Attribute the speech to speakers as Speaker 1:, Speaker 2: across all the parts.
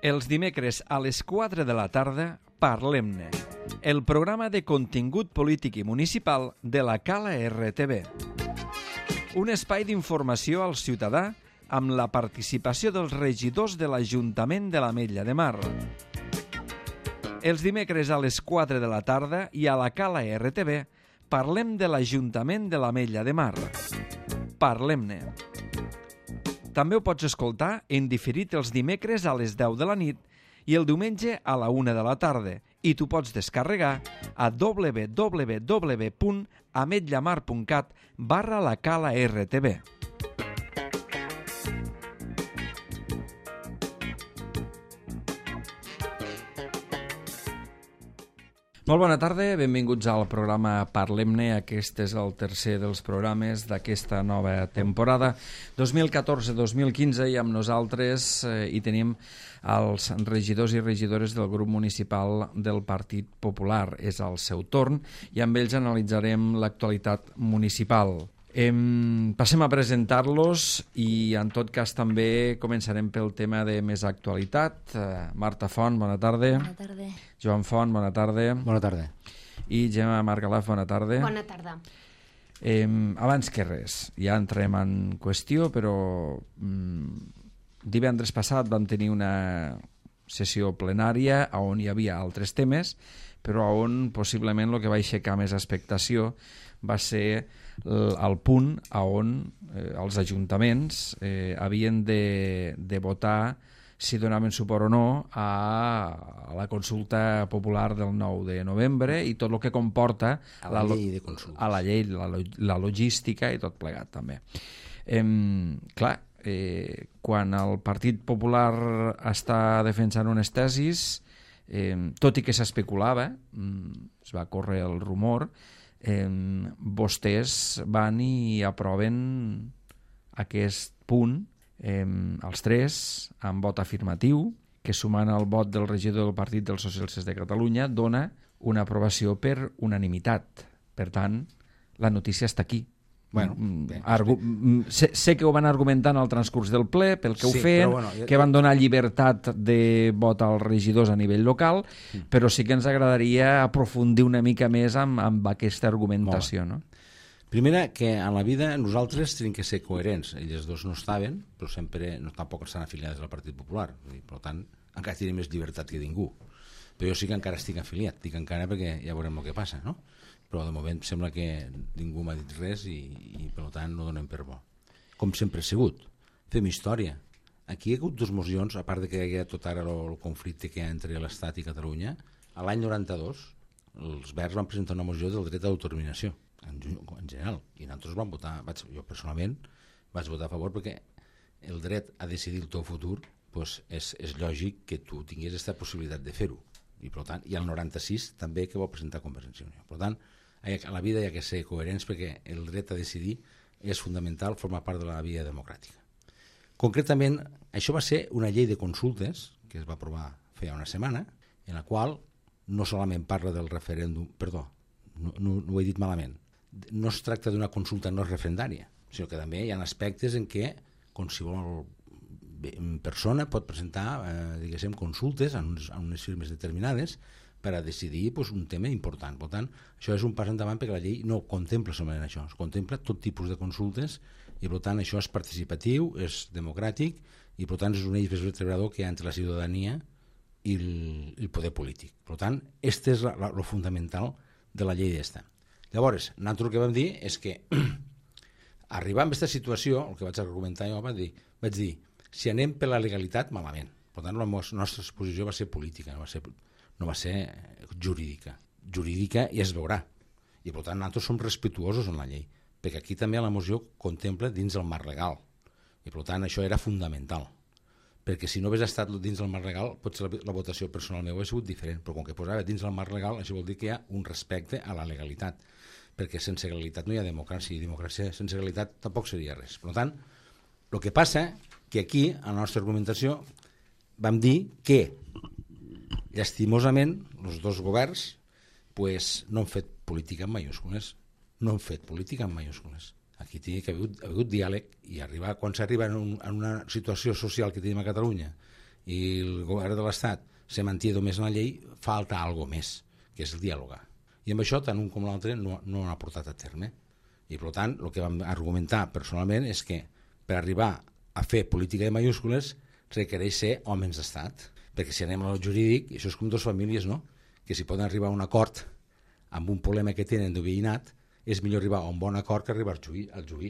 Speaker 1: Els dimecres a les 4 de la tarda, Parlem-ne, el programa de contingut polític i municipal de la Cala RTV. Un espai d'informació al ciutadà amb la participació dels regidors de l'Ajuntament de l'Ametlla de Mar. Els dimecres a les 4 de la tarda i a la Cala RTV parlem de l'Ajuntament de l'Ametlla de Mar. Parlem-ne. També ho pots escoltar en diferit els dimecres a les 10 de la nit i el diumenge a la 1 de la tarda i t'ho pots descarregar a www.ametllamar.cat/la Cala RTV. Molt bona tarda, benvinguts al programa Parlem-ne. Aquest és el tercer dels programes d'aquesta nova temporada 2014-2015 i amb nosaltres hi tenim els regidors i regidores del grup municipal del Partit Popular. És el seu torn i amb ells analitzarem l'actualitat municipal. Passem a presentar-los i en tot cas també començarem pel tema de més actualitat. Marta Font, bona tarda.
Speaker 2: Bona tarda.
Speaker 1: Joan Font, bona tarda.
Speaker 3: Bona tarda.
Speaker 1: I Gemma Margalaf, bona tarda.
Speaker 2: Bona tarda.
Speaker 1: Abans que res, ja entrem en qüestió, però divendres passat vam tenir una sessió plenària on hi havia altres temes, però on possiblement el que va aixecar més expectació va ser el punt on els ajuntaments havien de votar si donaven suport o no a la consulta popular del 9 de novembre i tot el que comporta
Speaker 3: a la llei de consultes.
Speaker 1: A la llei, la logística i tot plegat també. Clar, quan el Partit Popular està defensant unes tesis, tot i que s'especulava, es va córrer el rumor, vostès van i aproven aquest punt, els tres, amb vot afirmatiu, que sumant al vot del regidor del Partit dels Socialistes de Catalunya dona una aprovació per unanimitat. Per tant, la notícia està aquí.
Speaker 3: Bueno,
Speaker 1: sé que ho van argumentar en el transcurs del ple, pel que ho
Speaker 3: sí,
Speaker 1: feien,
Speaker 3: bueno,
Speaker 1: que van donar llibertat de vot als regidors a nivell local, però sí que ens agradaria aprofundir una mica més amb aquesta argumentació, no?
Speaker 3: Primera, que a la vida nosaltres tenim que ser coherents. Ells dos no estaven, però sempre tampoc estan afiliats al Partit Popular. Per tant, encara tenim més llibertat que ningú. Però jo sí que encara estic afiliat. Dic encara perquè ja veurem el que passa, no? Però de moment sembla que ningú m'ha dit res i per tant no donem per bo. Com sempre ha sigut. Fem història. Aquí hi ha hagut dues mocions, a part de que hi ha tot ara el conflicte que hi ha entre l'Estat i Catalunya. A l'any 92 els Verds van presentar una moció del dret a l'autodeterminació en general, i nosaltres vam votar, jo personalment vaig votar a favor perquè el dret a decidir el teu futur és lògic que tu tinguis aquesta possibilitat de fer-ho, i per tant, i el 96 també que va presentar Convergència i Unió. Per tant, a la vida hi ha que ser coherents perquè el dret a decidir és fundamental, forma part de la via democràtica. Concretament, això va ser una llei de consultes que es va aprovar feia una setmana, en la qual no solament parla del referèndum, perdó, no ho he dit malament, no es tracta d'una consulta no referendària, sinó que també hi ha aspectes en què qualsevol persona pot presentar diguéssim, consultes en unes firmes determinades per a decidir un tema important. Per tant, això és un pas endavant perquè la llei no contempla solament això, es contempla tot tipus de consultes i per tant això és participatiu, és democràtic i per tant és un eix vertebrador que hi ha entre la ciutadania i el poder polític. Per tant, aquest és el fundamental de la llei d'esta. Llavors, nosaltres el que vam dir és que arribar a aquesta situació, el que vaig argumentar jo, vaig dir, si anem per la legalitat, malament. Per tant, la nostra exposició va ser política, no va ser jurídica. Jurídica ja es veurà. I per tant, nosaltres som respectuosos en la llei, perquè aquí també la moció contempla dins el marc legal. I per tant, això era fundamental. Perquè si no hagués estat dins del marc legal, potser la votació personal meva hauria sigut diferent, però com que posava dins del marc legal, això vol dir que hi ha un respecte a la legalitat, perquè sense legalitat no hi ha democràcia, i democràcia sense legalitat tampoc seria res. Per tant, el que passa que aquí, a la nostra argumentació, vam dir que, llastimosament, els dos governs no han fet política en majúscules. Aquí ha hagut diàleg i quan s'arriba en una situació social que tenim a Catalunya i el govern de l'Estat se manté només en la llei, falta alguna més, que és el diàlogar. I amb això, tant un com l'altre no han portat a terme. I, per tant, el que vam argumentar personalment és que per arribar a fer política de mayúscules requereix ser homes d'estat. Perquè si anem al jurídic, això és com dues famílies, no? Que si poden arribar a un acord amb un problema que tenen de veïnat, és millor arribar a un bon acord que arribar al juí.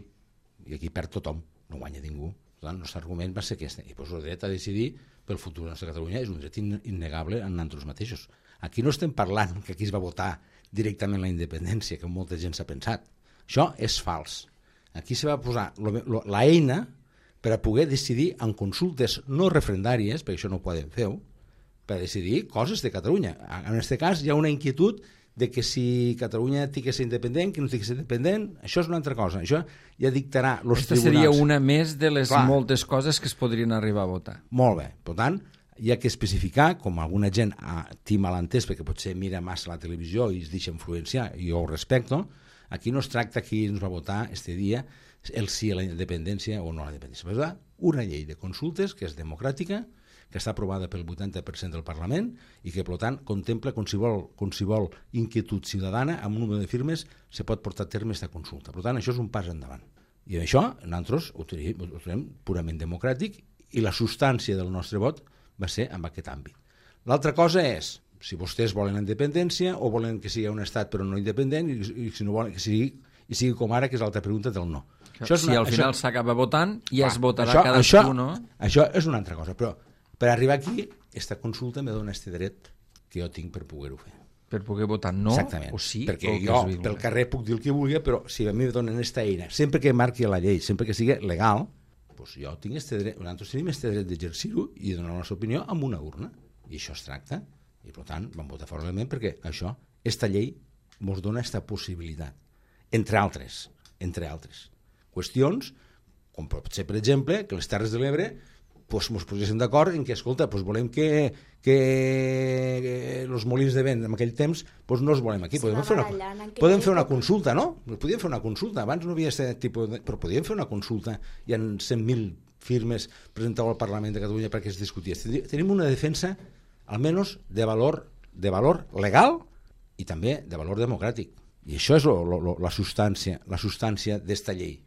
Speaker 3: I aquí perd tothom, no guanya ningú. Per tant, el nostre argument va ser aquest. I el dret a decidir pel futur de la nostra Catalunya és un dret innegable en nosaltres mateixos. Aquí no estem parlant que aquí es va votar directament la independència, que molta gent s'ha pensat. Això és fals. Aquí se va posar l'eina per a poder decidir en consultes no referendàries, perquè això no ho poden fer, per a decidir coses de Catalunya. En aquest cas hi ha una inquietud de que si Catalunya té que ser independent, que no té que ser independent, això és una altra cosa. Això ja dictarà els tribunals.
Speaker 1: Aquesta seria una més de les moltes coses que es podrien arribar a votar.
Speaker 3: Molt bé. Per tant, hi ha que especificar, com alguna gent té malentès, perquè potser mira massa la televisió i es deixa influenciar, i jo ho respecto, aquí no es tracta qui ens va votar este dia el sí a la independència o no a la independència. Va una llei de consultes que és democràtica, que està aprovada pel 80% del Parlament i que, per tant, contempla qualsevol inquietud ciutadana amb un número de firmes se pot portar a terme aquesta consulta. Per tant, això és un pas endavant. I això nosaltres ho trobem purament democràtic i la substància del nostre vot va ser en aquest àmbit. L'altra cosa és si vostès volen la independència o volen que sigui un estat però no independent i si no volen que sigui com ara, que és l'altra pregunta del no.
Speaker 1: Si al final s'acaba votant i es votarà cadascú, no?
Speaker 3: Això és una altra cosa, però per arribar aquí, aquesta consulta me dona este dret que jo tinc per poder-ho fer.
Speaker 1: Per poder votar no o sí?
Speaker 3: Perquè jo pel carrer puc dir el que vulgui, però si a mi me donen aquesta eina, sempre que marqui la llei, sempre que sigui legal, doncs jo tinc este dret, nosaltres tenim este dret d'exercir-ho i donar la nostra opinió amb una urna. I això es tracta. I per tant vam votar favorablement perquè això, esta llei ens dona aquesta possibilitat. Entre altres qüestions, com pot ser, per exemple, que les Terres de l'Ebre ens poséssim d'acord en que, escolta, volem que els molins de vent en aquell temps no els volem aquí. Podem fer una consulta, no? Podíem fer una consulta. Abans no havia aquest tipus de... Però podíem fer una consulta i en 100.000 firmes presentades al Parlament de Catalunya perquè es discutís. Tenim una defensa, almenys, de valor legal i també de valor democràtic. I això és la substància d'esta llei.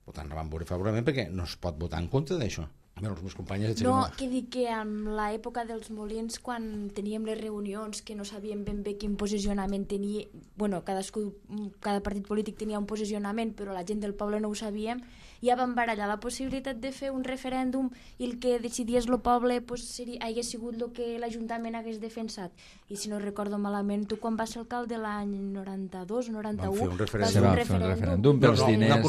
Speaker 3: Per tant, la vam veure favorablement perquè no es pot votar en contra d'això. Els meus companys...
Speaker 2: No, que dic que en l'època dels molins, quan teníem les reunions, que no sabíem ben bé quin posicionament tenia, bueno, cada partit polític tenia un posicionament, però la gent del poble no ho sabíem, ja vam barallar la possibilitat de fer un referèndum i el que decidies el poble hagués sigut el que l'Ajuntament hagués defensat. I si no recordo malament, tu quan vas ser alcalde l'any 92, 91, vas fer un referèndum
Speaker 1: pels diners.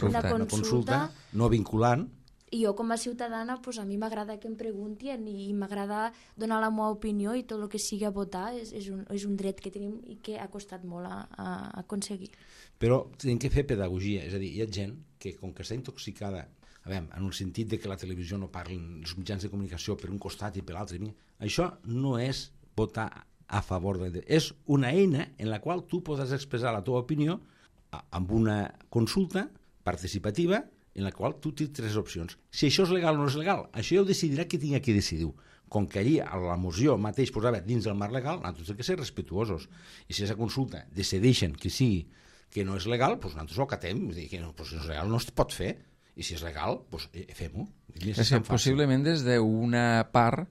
Speaker 3: Una consulta no vinculant.
Speaker 2: I jo com a ciutadana, a mi m'agrada que em preguntin i m'agrada donar la meva opinió i tot el que sigui a votar és un dret que tenim i que ha costat molt a aconseguir.
Speaker 3: Però tenim que fer pedagogia, és a dir, hi ha gent que com que està intoxicada, en el sentit de que la televisió no parlin, els mitjans de comunicació per un costat i per l'altre, això no és votar a favor de... És una eina en la qual tu podràs expressar la teva opinió amb una consulta participativa en la qual tu tens 3 opcions. Si això és legal o no és legal, això ja ho decidirà qui tingui que decidir-ho. Com que allí a la moció mateix posava dins del marc legal, nosaltres hem de ser respectuosos. I si aquesta consulta decideixen que sigui que no és legal, doncs nosaltres ho acatem. Que no és legal, no es pot fer. I si és legal, doncs fem-ho.
Speaker 1: Possiblement des d'una part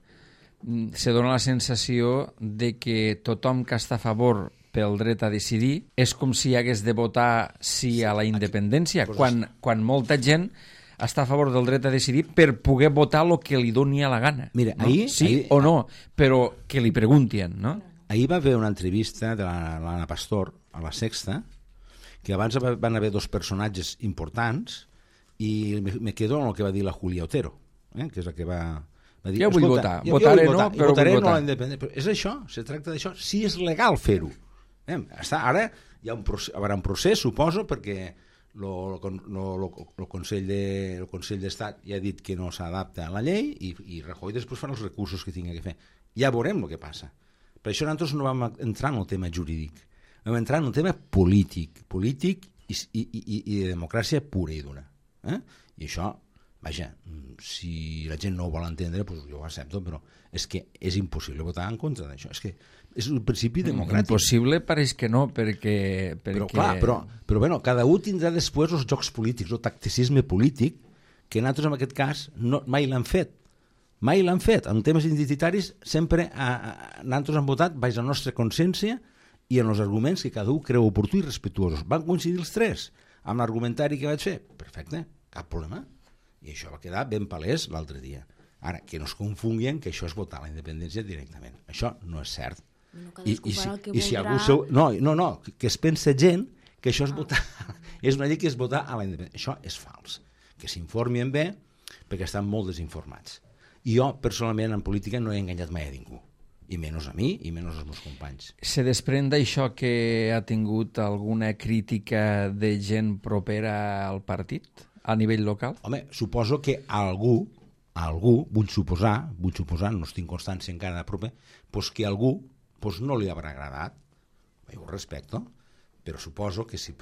Speaker 1: se dona la sensació de que tothom que està a favor pel dret a decidir és com si hagués de votar sí a la independència, quan molta gent està a favor del dret a decidir per poder votar el que li doni a la gana.
Speaker 3: Mira,
Speaker 1: no? Sí o no, però que li preguntin, no?
Speaker 3: Ahir va haver una entrevista de l'Anna Pastor a La Sexta, que abans van haver 2 personatges importants i me quedo amb el que va dir la Julia Otero, que és la que va dir...
Speaker 1: Jo vull votar, votaré no, però vull votar.
Speaker 3: La independència. Però és això, se tracta d'això, si és legal fer-ho. Ara hi haurà un procés, suposo, perquè el Consell d'Estat ja ha dit que no s'adapta a la llei i Rajoy després farà els recursos que tingui que fer. Ja veurem el que passa. Per això nosaltres no vam entrar en el tema jurídic, vam entrar en el tema polític i de democràcia pura i dura. I això Vaja, si la gent no ho vol entendre, doncs jo ho accepto, però és que és impossible votar en contra d'això. És que és un principi democràtic.
Speaker 1: Impossible pareix que no, perquè...
Speaker 3: Però clar, però bueno, cada un tindrà després els jocs polítics, el tacticisme polític, que nosaltres en aquest cas mai l'han fet. Mai l'han fet. En temes identitaris sempre nosaltres hem votat baix la nostra consciència i en els arguments que cada un creu oportú i respectuosos. Van coincidir els tres amb l'argumentari que vaig fer. Perfecte, cap problema. I això va quedar ben palès l'altre dia. Ara, que no es confonguen que això és votar la independència directament. Això no és cert. I si algú no, que es pensa gent que això és votar, és una llei que és votar a la independència. Això és fals. Que s'informin bé perquè estan molt desinformats. I jo, personalment, en política no he enganyat mai a ningú. I menys a mi i menys als meus companys.
Speaker 1: Se desprèn d'això que ha tingut alguna crítica de gent propera al partit a nivell local?
Speaker 3: Home, suposo que algú, vull suposar, no estic constància encara de proper, doncs que algú no li haurà agradat, jo ho respecto, però suposo que si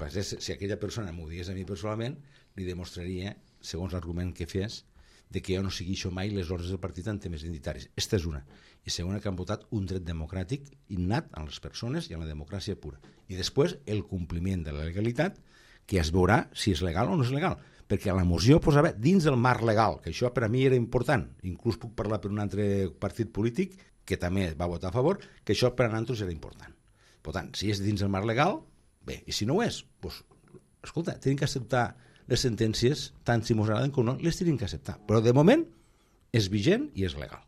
Speaker 3: aquella persona m'ho digués a mi personalment, li demostraria, segons l'argument que fes, de que jo no segueixo mai les ordres del partit en temes identitaris. Esta és una. I segona, que han votat un dret democràtic innat a les persones i a la democràcia pura. I després, el compliment de la legalitat, que es veurà si és legal o no és legal. Perquè la moció posava dins del marc legal, que això per a mi era important. Inclús puc parlar per un altre partit polític que també va votar a favor, que això per a nosaltres era important. Per tant, si és dins del marc legal, bé, i si no ho és, doncs, escolta, tenim que acceptar les sentències, tant si ens agraden com no, les tenim que acceptar. Però de moment és vigent i és legal.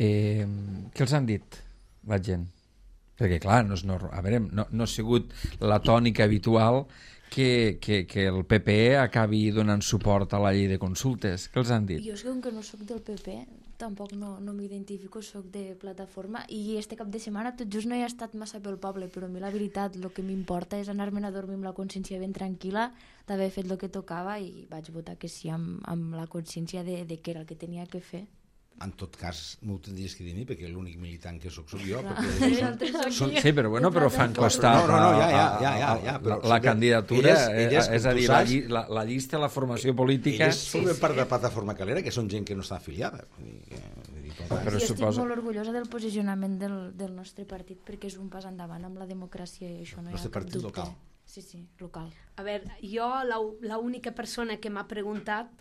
Speaker 1: Què els han dit la gent? Perquè clar, no ha sigut la tònica habitual que el PP acabi donant suport a la llei de consultes. Què els han dit?
Speaker 2: Jo és que com que no soc del PP, tampoc no m'identifico, soc de plataforma, i este cap de setmana tot just no he estat massa pel poble, però a mi la veritat el que m'importa és anar-me'n a dormir amb la consciència ben tranquil·la d'haver fet el que tocava, i vaig votar que sí amb la consciència de que era el que tenia que fer.
Speaker 3: En tot cas, m'ho tindries que dir a mi, perquè l'únic militant que soc jo.
Speaker 1: Sí, però fan costat la candidatura, és a dir, la llista, la formació política...
Speaker 3: Elles formen part de Plataforma Calera, que són gent que no està afiliada.
Speaker 2: Però estic molt orgullosa del posicionament del nostre partit, perquè és un pas endavant amb la democràcia i això no hi ha cap dubte.
Speaker 3: Local.
Speaker 2: Sí, local.
Speaker 4: A veure, jo l'única persona que m'ha preguntat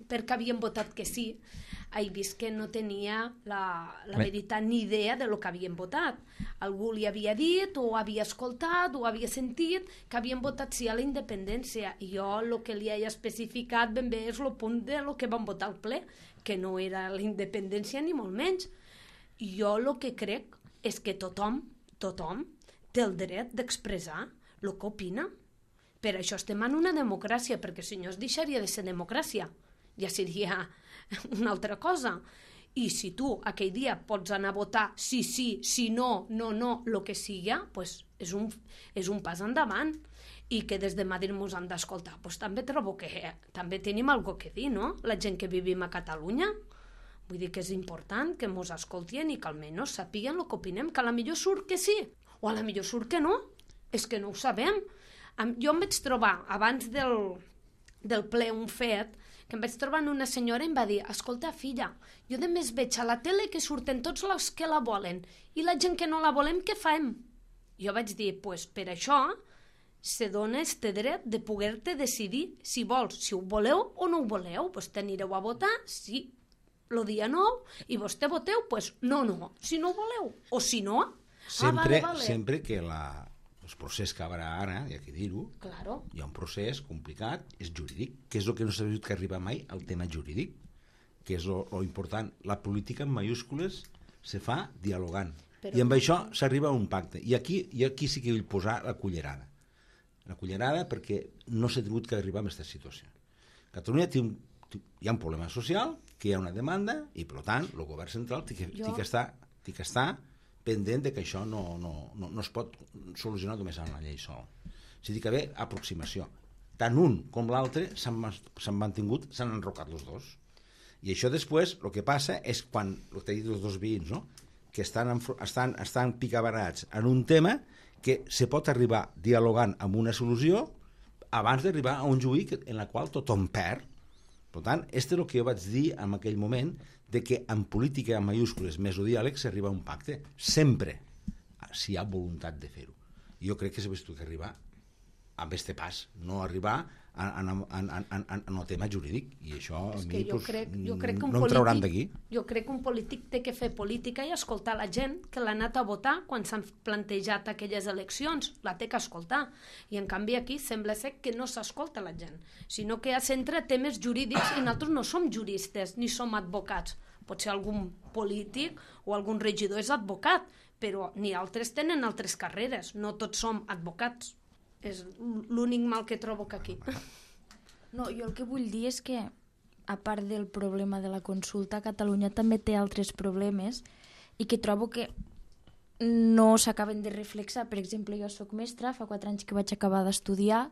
Speaker 4: per què havien votat que sí, he vist que no tenia la veritat ni idea de lo que havien votat. Algú li havia dit, o havia escoltat, o havia sentit que havien votat sí a la independència, i jo el que li he especificat ben bé és el punt de lo que van votar al ple, que no era la independència ni molt menys. I jo el que crec és que tothom té el dret d'expressar el que opina. Per això estem en una democràcia, perquè si no es deixaria de ser democràcia, ja seria una altra cosa. I si tu aquell dia pots anar a votar sí, si no, el que sigui, pues és un pas endavant. I que des de Madrid ens han d'escoltar, pues també trobo que també tenim alguna cosa que dir, no? La gent que vivim a Catalunya. Vull dir que és important que ens escoltien i que almenys sapiguen el que opinem, que a la millor surt que sí, o a la millor surt que no. És que no ho sabem. Jo em vaig trobar, abans del ple, un fet, que em vaig trobar una senyora i em va dir: escolta, filla, jo de més veig a la tele que surten tots els que la volen, i la gent que no la volem, què fem? Jo vaig dir, pues per això se dona este dret de poder-te decidir si vols, si ho voleu o no ho voleu, pues t'anireu a votar, sí, el dia 9, i vos te voteu, pues no, si no ho voleu, o si no, vale.
Speaker 3: Sempre que el procés que haurà ara, hi ha que dir-ho,
Speaker 4: claro.
Speaker 3: Hi ha un procés complicat, és jurídic, que és el que no s'ha vist que arriba mai al tema jurídic, que és lo important. La política en majúscules se fa dialogant, i amb això s'arriba a un pacte. I aquí sí que vull posar la cullerada. La cullerada perquè no s'ha tingut que arribar a aquesta situació. Catalunya hi ha un problema social, que hi ha una demanda, i per tant el govern central té que estar pendent de que això no es pot solucionar només amb la llei sola. O sigui que ve aproximació. Tant un com l'altre s'han mantingut, s'han enrocat els dos. I això després, el que passa és quan, el que he dit els dos veïns, no? Que estan picabarats en un tema que se pot arribar dialogant amb una solució abans d'arribar a un juí en la qual tothom perd. Per tant, és el que jo vaig dir en aquell moment, de que en política en mayúscules més o diàleg s'arriba a un pacte, sempre, si hi ha voluntat de fer-ho. Jo crec que s'ha vist que arribar amb este pas, no arribar en el tema jurídic, i això a mi
Speaker 4: jo crec que
Speaker 3: no em trauran d'aquí.
Speaker 4: Jo crec que un polític té que fer política i escoltar la gent que l'ha anat a votar quan s'han plantejat aquelles eleccions, la té que escoltar, i en canvi aquí sembla ser que no s'escolta la gent, sinó que es centra temes jurídics, i nosaltres no som juristes ni som advocats. Potser algun polític o algun regidor és advocat, però ni altres tenen altres carreres, no tots som advocats. És l'únic mal que trobo que aquí.
Speaker 2: No, jo el que vull dir és que, a part del problema de la consulta, Catalunya també té altres problemes i que trobo que no s'acaben de reflexar. Per exemple, jo sóc mestra, fa 4 anys que vaig acabar d'estudiar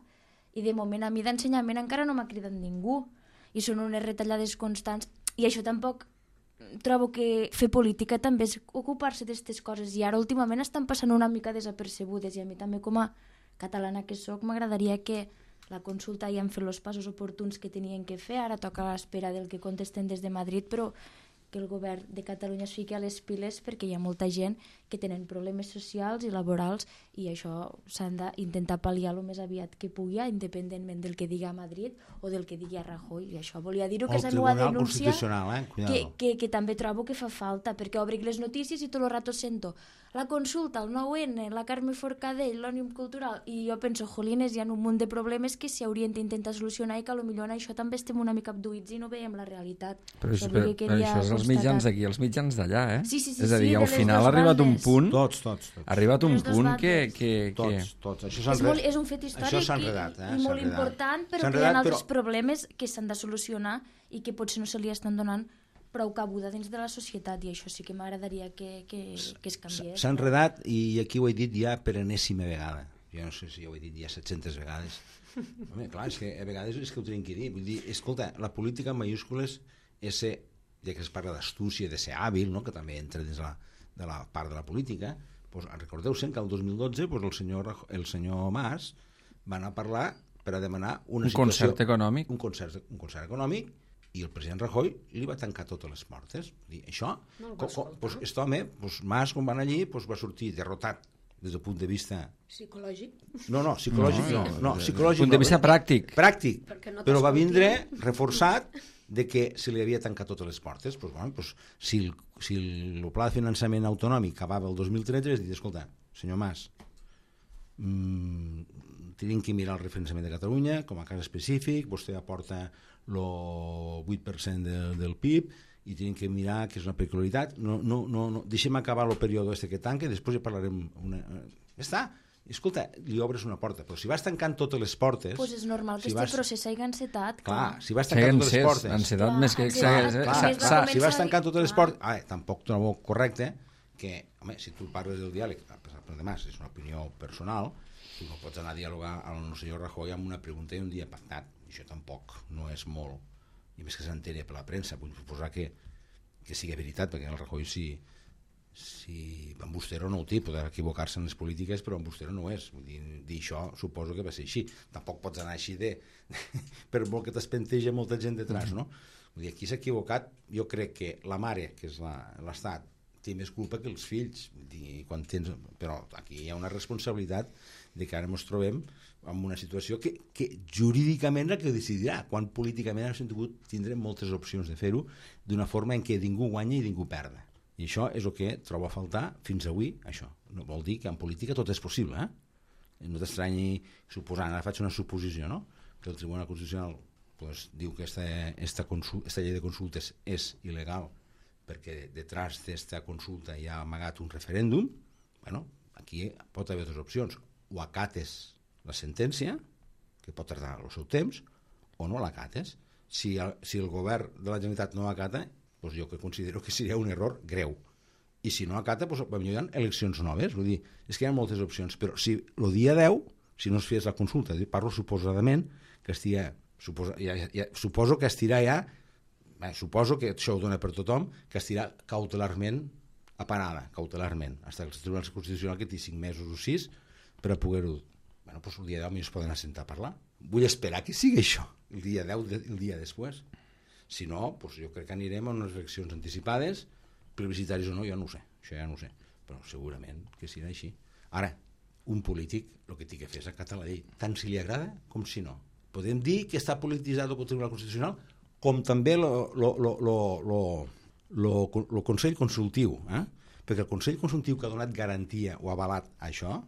Speaker 2: i de moment a mi d'ensenyament encara no m'ha cridat ningú i són unes retallades constants i això tampoc trobo que fer política també és ocupar-se d'aquestes coses i ara últimament estan passant una mica desapercebudes i a mi també com a catalana que sóc m'agradaria que la consulta ja han fet els passos oportuns que tenien que fer, ara toca a l'espera del que contesten des de Madrid, però que el govern de Catalunya es fiqui a les piles perquè hi ha molta gent que tenen problemes socials i laborals i això s'han d'intentar pal·liar el més aviat que pugui, independentment del que digui a Madrid o del que digui a Rajoy. I això volia dir-ho, que és la meva denúncia, que també trobo que fa falta, perquè obric les notícies i tot el rato sento la consulta, el 9N, la Carme Forcadell, l'Òmnium Cultural, i jo penso, jolines, hi ha un munt de problemes que s'hi haurien d'intentar solucionar i que potser en això també estem una mica abduïts i no veiem la realitat.
Speaker 1: Però això és els mitjans d'aquí, els mitjans d'allà, eh?
Speaker 2: Sí,
Speaker 1: és a dir, al final ha arribat un punt...
Speaker 3: Tots.
Speaker 1: Ha arribat un punt que...
Speaker 3: Tots.
Speaker 2: És un fet històric i molt important, però que hi ha altres problemes que s'han de solucionar i que potser no se li estan donant prou cabuda dins de la societat, i això sí que m'agradaria que es canviés.
Speaker 3: S'ha enredat, i aquí ho he dit ja per enèsima vegada. Jo no sé si ho he dit ja 700 vegades. Home, clar, és que a vegades és que ho tenim que dir. Vull dir, escolta, la política en mayúscules és ser, ja que es parla d'astúcia, de ser hàbil, no? Que també entra dins de la part de la política, doncs, recordeu-se que el 2012 doncs, el senyor Mas va anar a parlar per a demanar una situació...
Speaker 1: concert econòmic.
Speaker 3: Un concert econòmic, i el president Rajoy li va tancar totes les portes. Això, aquest home, Mas, quan van allí, va sortir derrotat des del punt de vista...
Speaker 4: Psicològic?
Speaker 3: No, psicològic no. Psicològic
Speaker 1: punt de vista pràctic.
Speaker 3: Pràctic, però va vindre reforçat de que se li havia tancat totes les portes. Si el pla de finançament autonòmic acabava el 2013, és dir, escolta, senyor Mas, tenim que mirar el referenciament de Catalunya com a cas específic, vostè aporta el 8% del PIB i tenim que mirar que és una peculiaritat, no, deixem acabar el període que tanca i després ja parlarem ja està, escolta, li obres una porta, però si vas tancant totes les portes...
Speaker 2: Doncs és normal que aquest procés s'hagi encetat.
Speaker 3: Clar, si vas tancant totes les portes...
Speaker 1: Encetat més que...
Speaker 3: Si vas tancant totes les portes... Tampoc trobo correcte que, home, si tu parles del diàleg, además, és una opinió personal, tu no pots anar a dialogar al senyor Rajoy amb una pregunta i un dia pactat. Això tampoc no és molt, i més que s'entén per la premsa, vull suposar que sigui veritat, perquè el Rajoy si embustero no ho té, podrà equivocar-se en les polítiques, però embustero no és, vull dir això suposo que va ser així, tampoc pots anar així per molt que t'espenteja molta gent detrás, no? Vull dir, aquí s'ha equivocat, jo crec que la mare, que és l'Estat, té més culpa que els fills, però aquí hi ha una responsabilitat de que ara ens trobem en una situació que jurídicament la que decidirà, quan políticament tindrem moltes opcions de fer-ho d'una forma en què ningú guanya i ningú perda. I això és el que trobo a faltar fins avui, això. No vol dir que en política tot és possible, No t'estranyi suposant, ara faig una suposició, no? Que el Tribunal Constitucional diu que esta llei de consultes és il·legal perquè detrás d'esta consulta hi ha amagat un referèndum. Bueno, aquí pot haver dues opcions, o acates la sentència, que pot tardar el seu temps, o no l'acates. Si el govern de la Generalitat no acata, doncs jo que considero que seria un error greu. I si no acata, doncs potser hi ha eleccions noves. Vull dir, és que hi ha moltes opcions, però si el dia 10, si no es fes la consulta, parlo suposadament, que estigui, suposo que estirà ja, suposo que això ho dona per tothom, que estirà cautelarment aparada, cautelarment, fins que el Tribunal Constitucional que té 5 mesos o 6 per a poder-ho... Bueno, doncs el dia 10 es poden assentar a parlar. Vull esperar que sigui això, el dia 10, el dia després. Si no, doncs jo crec que anirem a unes eleccions anticipades, plebiscitaris o no, jo no ho sé, això ja no ho sé, però segurament que serà així. Ara, un polític el que té que fer és acatar la llei, tant si li agrada com si no. Podem dir que està polititzat el Tribunal Constitucional, com també el Consell Consultiu, perquè el Consell Consultiu que ha donat garantia o ha avalat això,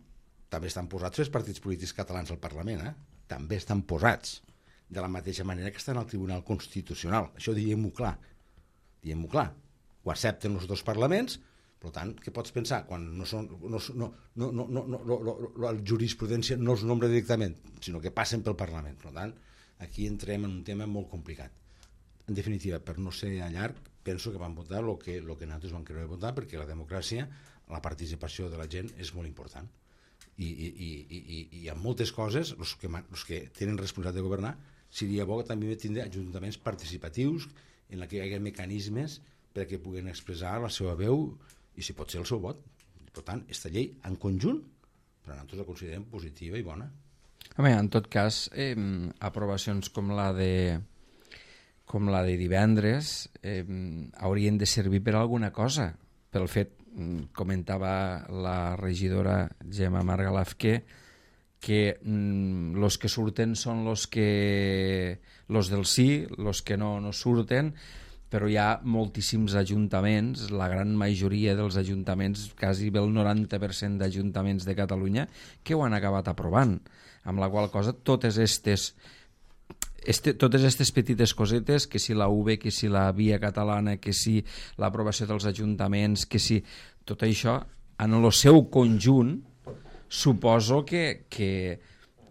Speaker 3: també estan posats els partits polítics catalans al Parlament, també estan posats, de la mateixa manera que estan al Tribunal Constitucional. Això diguem-ho clar. Ho accepten els dos parlaments, per tant, què pots pensar? Quan la jurisprudència no es nombra directament, sinó que passen pel Parlament. Per tant, aquí entrem en un tema molt complicat. En definitiva, per no ser llarg, penso que van votar el que nosaltres vam querer votar, perquè la democràcia, la participació de la gent és molt important. I en moltes coses, els que tenen responsabilitat de governar, seria bo que també tindre ajuntaments participatius en què hi hagi mecanismes perquè puguen expressar la seva veu i, si pot ser, el seu vot. Per tant, aquesta llei, en conjunt, però nosaltres la considerem positiva i bona.
Speaker 1: Home, en tot cas, aprovacions com la de divendres haurien de servir per alguna cosa, pel fet, comentava la regidora Gemma Margalaf, que los que surten són los del sí, los que no surten, però hi ha moltíssims ajuntaments, la gran majoria dels ajuntaments, quasi el 90% d'ajuntaments de Catalunya, que ho han acabat aprovant, amb la qual cosa totes aquestes petites cosetes, que si la UB, que si la via catalana, que si l'aprovació dels ajuntaments, que si tot això, en el seu conjunt, suposo que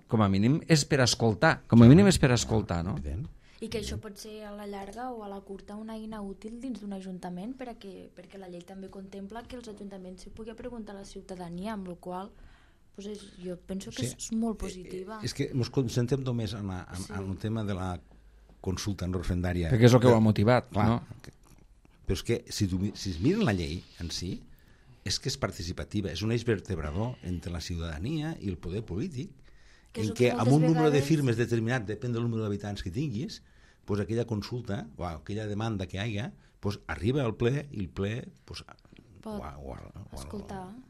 Speaker 1: com a mínim és per escoltar, no?
Speaker 2: I que això pot ser a la llarga o a la curta una eina útil dins d'un ajuntament perquè la llei també contempla que els ajuntaments s'hi pugui preguntar a la ciutadania, amb la qual cosa jo penso que és molt positiva.
Speaker 3: És que ens concentrem només en el tema de la consulta no referendària.
Speaker 1: Perquè és el que ho ha motivat,
Speaker 3: clar,
Speaker 1: no?
Speaker 3: Però és que si es miren la llei en si, és que és participativa, és un eix vertebrador entre la ciutadania i el poder polític, en què amb un número de firmes determinat, depèn del número d'habitants que tinguis, doncs aquella consulta o aquella demanda que hi hagi arriba al ple i el ple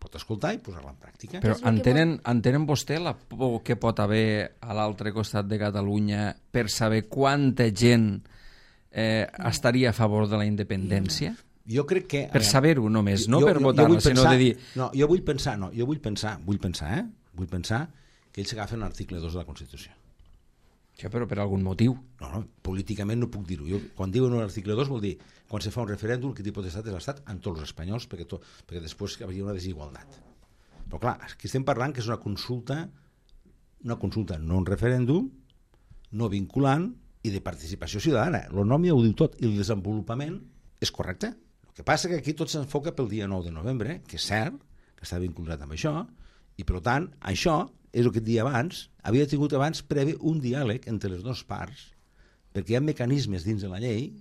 Speaker 3: pot escoltar i posar-la en pràctica.
Speaker 1: Però entenen vostè la por que pot haver a l'altre costat de Catalunya per saber quanta gent estaria a favor de la independència?
Speaker 3: Jo crec que...
Speaker 1: Per saber-ho només, no per votar-la, sinó de dir...
Speaker 3: No, jo vull pensar que ells agafen l'article 2 de la Constitució.
Speaker 1: Ja, però per algun motiu.
Speaker 3: No, políticament no puc dir-ho. Quan diuen l'article 2 vol dir quan se fa un referèndum que té potestat és l'Estat amb tots els espanyols perquè després hi hauria una desigualtat. Però clar, aquí estem parlant que és una consulta, no un referèndum, no vinculant i de participació ciutadana. El nom ja ho diu tot i el desenvolupament és correcte. El que passa que aquí tot s'enfoca pel dia 9 de novembre, que és cert, que està vinculat amb això, i per tant, això és el que et deia abans, havia tingut abans previ un diàleg entre les dues parts, perquè hi ha mecanismes dins de la llei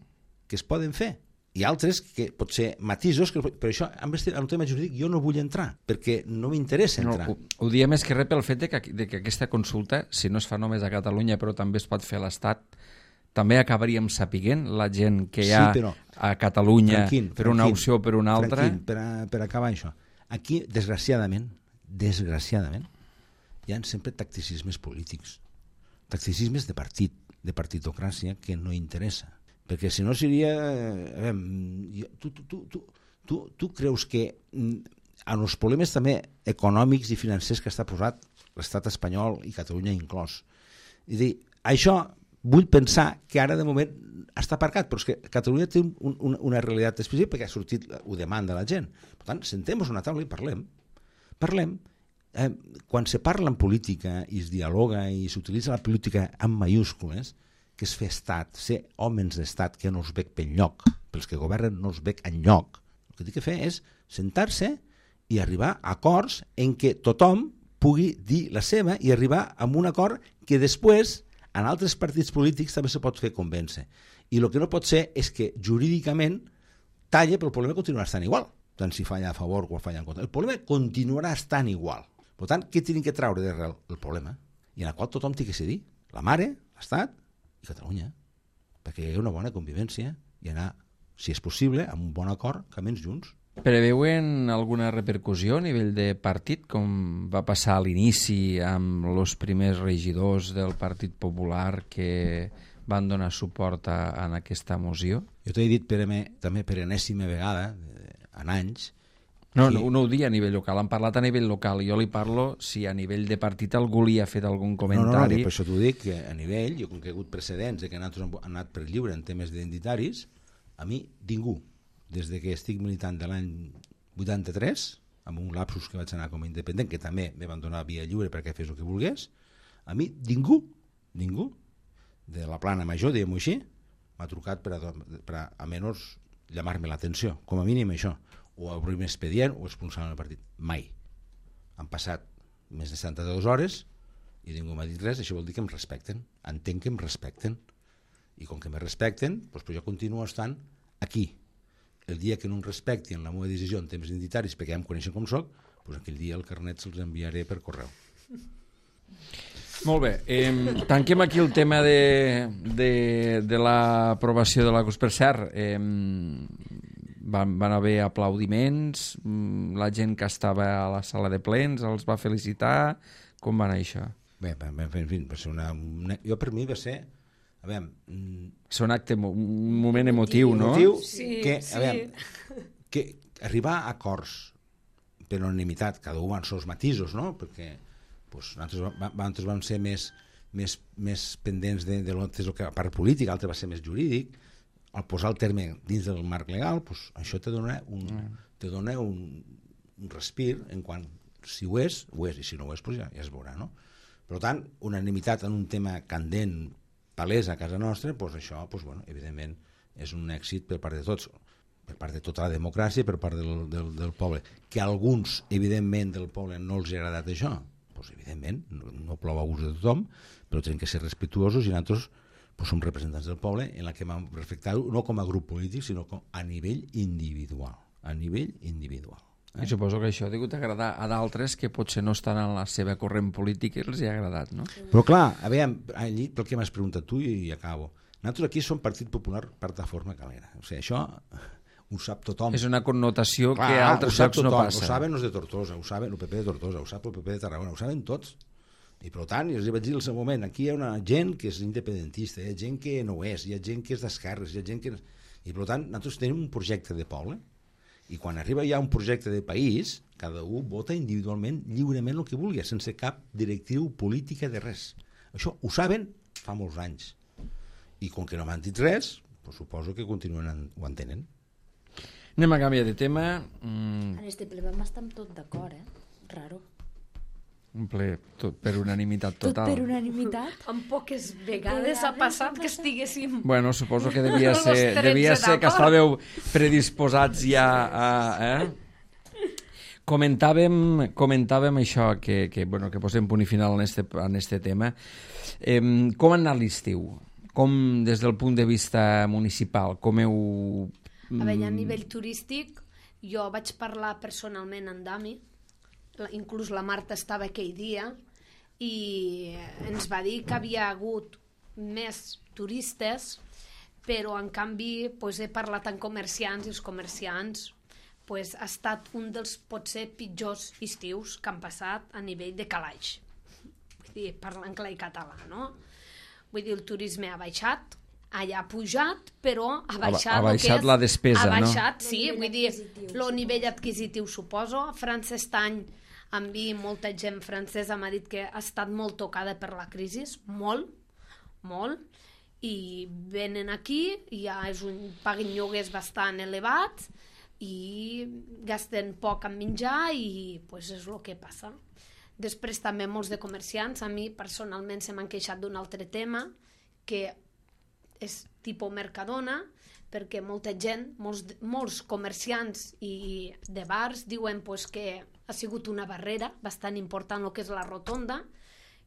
Speaker 3: que es poden fer, i altres que pot ser matisos, però això, en el tema jurídic, jo no vull entrar, perquè no m'interessa entrar.
Speaker 1: No, ho diem més que res pel fet de que aquesta consulta, si no es fa només a Catalunya, però també es pot fer a l'Estat, també acabaríem sapiguent la gent que hi ha a Catalunya per una opció o per una altra.
Speaker 3: Per acabar això. Aquí, desgraciadament, hi ha sempre tacticismes polítics, tacticismes de partit, de partitocràcia, que no interessa. Perquè si no seria... Tu creus que en els problemes també econòmics i financers que està posat l'estat espanyol i Catalunya inclòs, i dir, això vull pensar que ara de moment està aparcat, però és que Catalunya té una realitat específica perquè ha sortit, ho demanda la gent. Per tant, sentem-nos a una taula i parlem. Quan se parla en política i es dialoga i s'utilitza la política amb mayúscules, que és fer estat, ser homes d'estat que no es veig per enlloc, pels que governen no es veig enlloc. El que té que fer és sentar-se i arribar a acords en què tothom pugui dir la seva i arribar a un acord que després en altres partits polítics també se pot fer convèncer. I el que no pot ser és que jurídicament talla, però el problema continuarà estant igual, tant si falla a favor o falla en contra. El problema continuarà estant igual. Per tant, què tenim que traure d'arrel? El problema, i en el qual tothom té que cedir. la mare, l'Estat i Catalunya, perquè hi ha una bona convivència i anar, si és possible, amb un bon acord, camins junts.
Speaker 1: Preveuen alguna repercussió a nivell de partit, com va passar a l'inici amb els primers regidors del Partit Popular que van donar suport a aquesta moció?
Speaker 3: Jo t'he dit també per enèsima vegada, en anys...
Speaker 1: No ho dic a nivell local, han parlat a nivell local. Jo li parlo si a nivell de partit algú li ha fet algun comentari.
Speaker 3: No, per això t'ho dic, que a nivell, jo com que he hagut precedents de que nosaltres hem anat per lliure en temes identitaris, a mi ningú, des de que estic militant de l'any 83, amb un lapsus que vaig anar com a independent, que també me van donar via lliure perquè fes el que volgués, a mi ningú, de la plana major, diguem-ho així, m'ha trucat per a menys llamar-me l'atenció, com a mínim això, o obrir-me expedient o expulsar-me del partit. Mai. Han passat més de 72 hores i ningú m'ha dit res, això vol dir que em respecten. Entenc que em respecten. I com que me respecten, doncs jo continuo estant aquí. El dia que no em respectin la meva decisió en temps identitaris, perquè ja em coneixen com soc, doncs aquell dia el carnet se'ls enviaré per correu.
Speaker 1: Molt bé, tanquem aquí el tema de l'aprovació de la CUS. Per cert, van haver aplaudiments, la gent que estava a la sala de plens els va felicitar, com va anar això?
Speaker 3: Bé, en fi, va ser jo per mi va ser, a veure...
Speaker 1: És un acte, un moment emotiu, no?
Speaker 4: Sí,
Speaker 3: que arribar a acords per unanimitat, cada un amb els matisos, no? Perquè nosaltres vam ser més pendents de lo que a part política, l'altre va ser més jurídic. Al posar el terme dins del marc legal, això te dona un respir en quant si ho és, i si no ho és, ja es veurà, no? Per tant, unanimitat en un tema candent, palès a casa nostra, això, evidentment, és un èxit per part de tots, per part de tota la democràcia, per part del poble. Que a alguns, evidentment, del poble no els ha agradat això, evidentment, no plou a gust de tothom, però tenen que ser respectuosos i nosaltres som representants del poble en la que vam respectar-ho no com a grup polític, sinó a nivell individual. A nivell individual.
Speaker 1: I suposo que això ha hagut d'agradar a d'altres que potser no estan en la seva corrent política i els hi ha agradat, no?
Speaker 3: Però clar, a veure, allí, pel que m'has preguntat tu i acabo. Nosaltres aquí som Partit Popular Plataforma Calera. O sigui, això ho sap tothom.
Speaker 1: És una connotació que a altres llocs no passa.
Speaker 3: Ho saben els de Tortosa, ho saben el PP de Tortosa, ho sap el PP de Tarragona, ho saben tots. I per tant, jo els vaig dir al seu moment, aquí hi ha una gent que és independentista, hi ha gent que no ho és, hi ha gent que és d'esquerres, hi ha gent que... I per tant, nosaltres tenim un projecte de poble, i quan arriba ja un projecte de país, cada un vota individualment, lliurement el que vulgui, sense cap directriu política de res. Això ho saben fa molts anys. I com que no m'han dit res, suposo que continuen, ho entenen.
Speaker 1: Anem a canviar de tema.
Speaker 2: En este ple vam estar amb tot d'acord, Raro.
Speaker 1: Un ple per unanimitat total.
Speaker 2: Tot per unanimitat?
Speaker 4: En poques vegades ha passat que estiguéssim...
Speaker 1: Bueno, suposo que devia ser que estàveu predisposats ja a... Comentàvem això, que posem punt i final en este tema. Com ha anat l'estiu? Com, des del punt de vista municipal, com heu...
Speaker 4: A veure, a nivell turístic, jo vaig parlar personalment amb Dami, inclús la Marta estava aquell dia, i ens va dir que havia hagut més turistes, però en canvi he parlat amb comerciants i els comerciants ha estat un dels potser pitjors estius que han passat a nivell de calaix. Vull dir, parlant clar i català, no? Vull dir, el turisme ha baixat, allà ha pujat, però ha baixat
Speaker 1: la despesa, no?
Speaker 4: Ha baixat, sí, vull dir, el nivell adquisitiu, suposo. A França any amb mi, molta gent francesa m'ha dit que ha estat molt tocada per la crisi, molt, i venen aquí, i ja paguen lloguers bastant elevats, i gasten poc en menjar, i és el que passa. Després també molts de comerciants, a mi personalment se m'han queixat d'un altre tema, que és tipus Mercadona, perquè molta gent, molts comerciants i de bars diuen que ha sigut una barrera bastant important el que és la rotonda,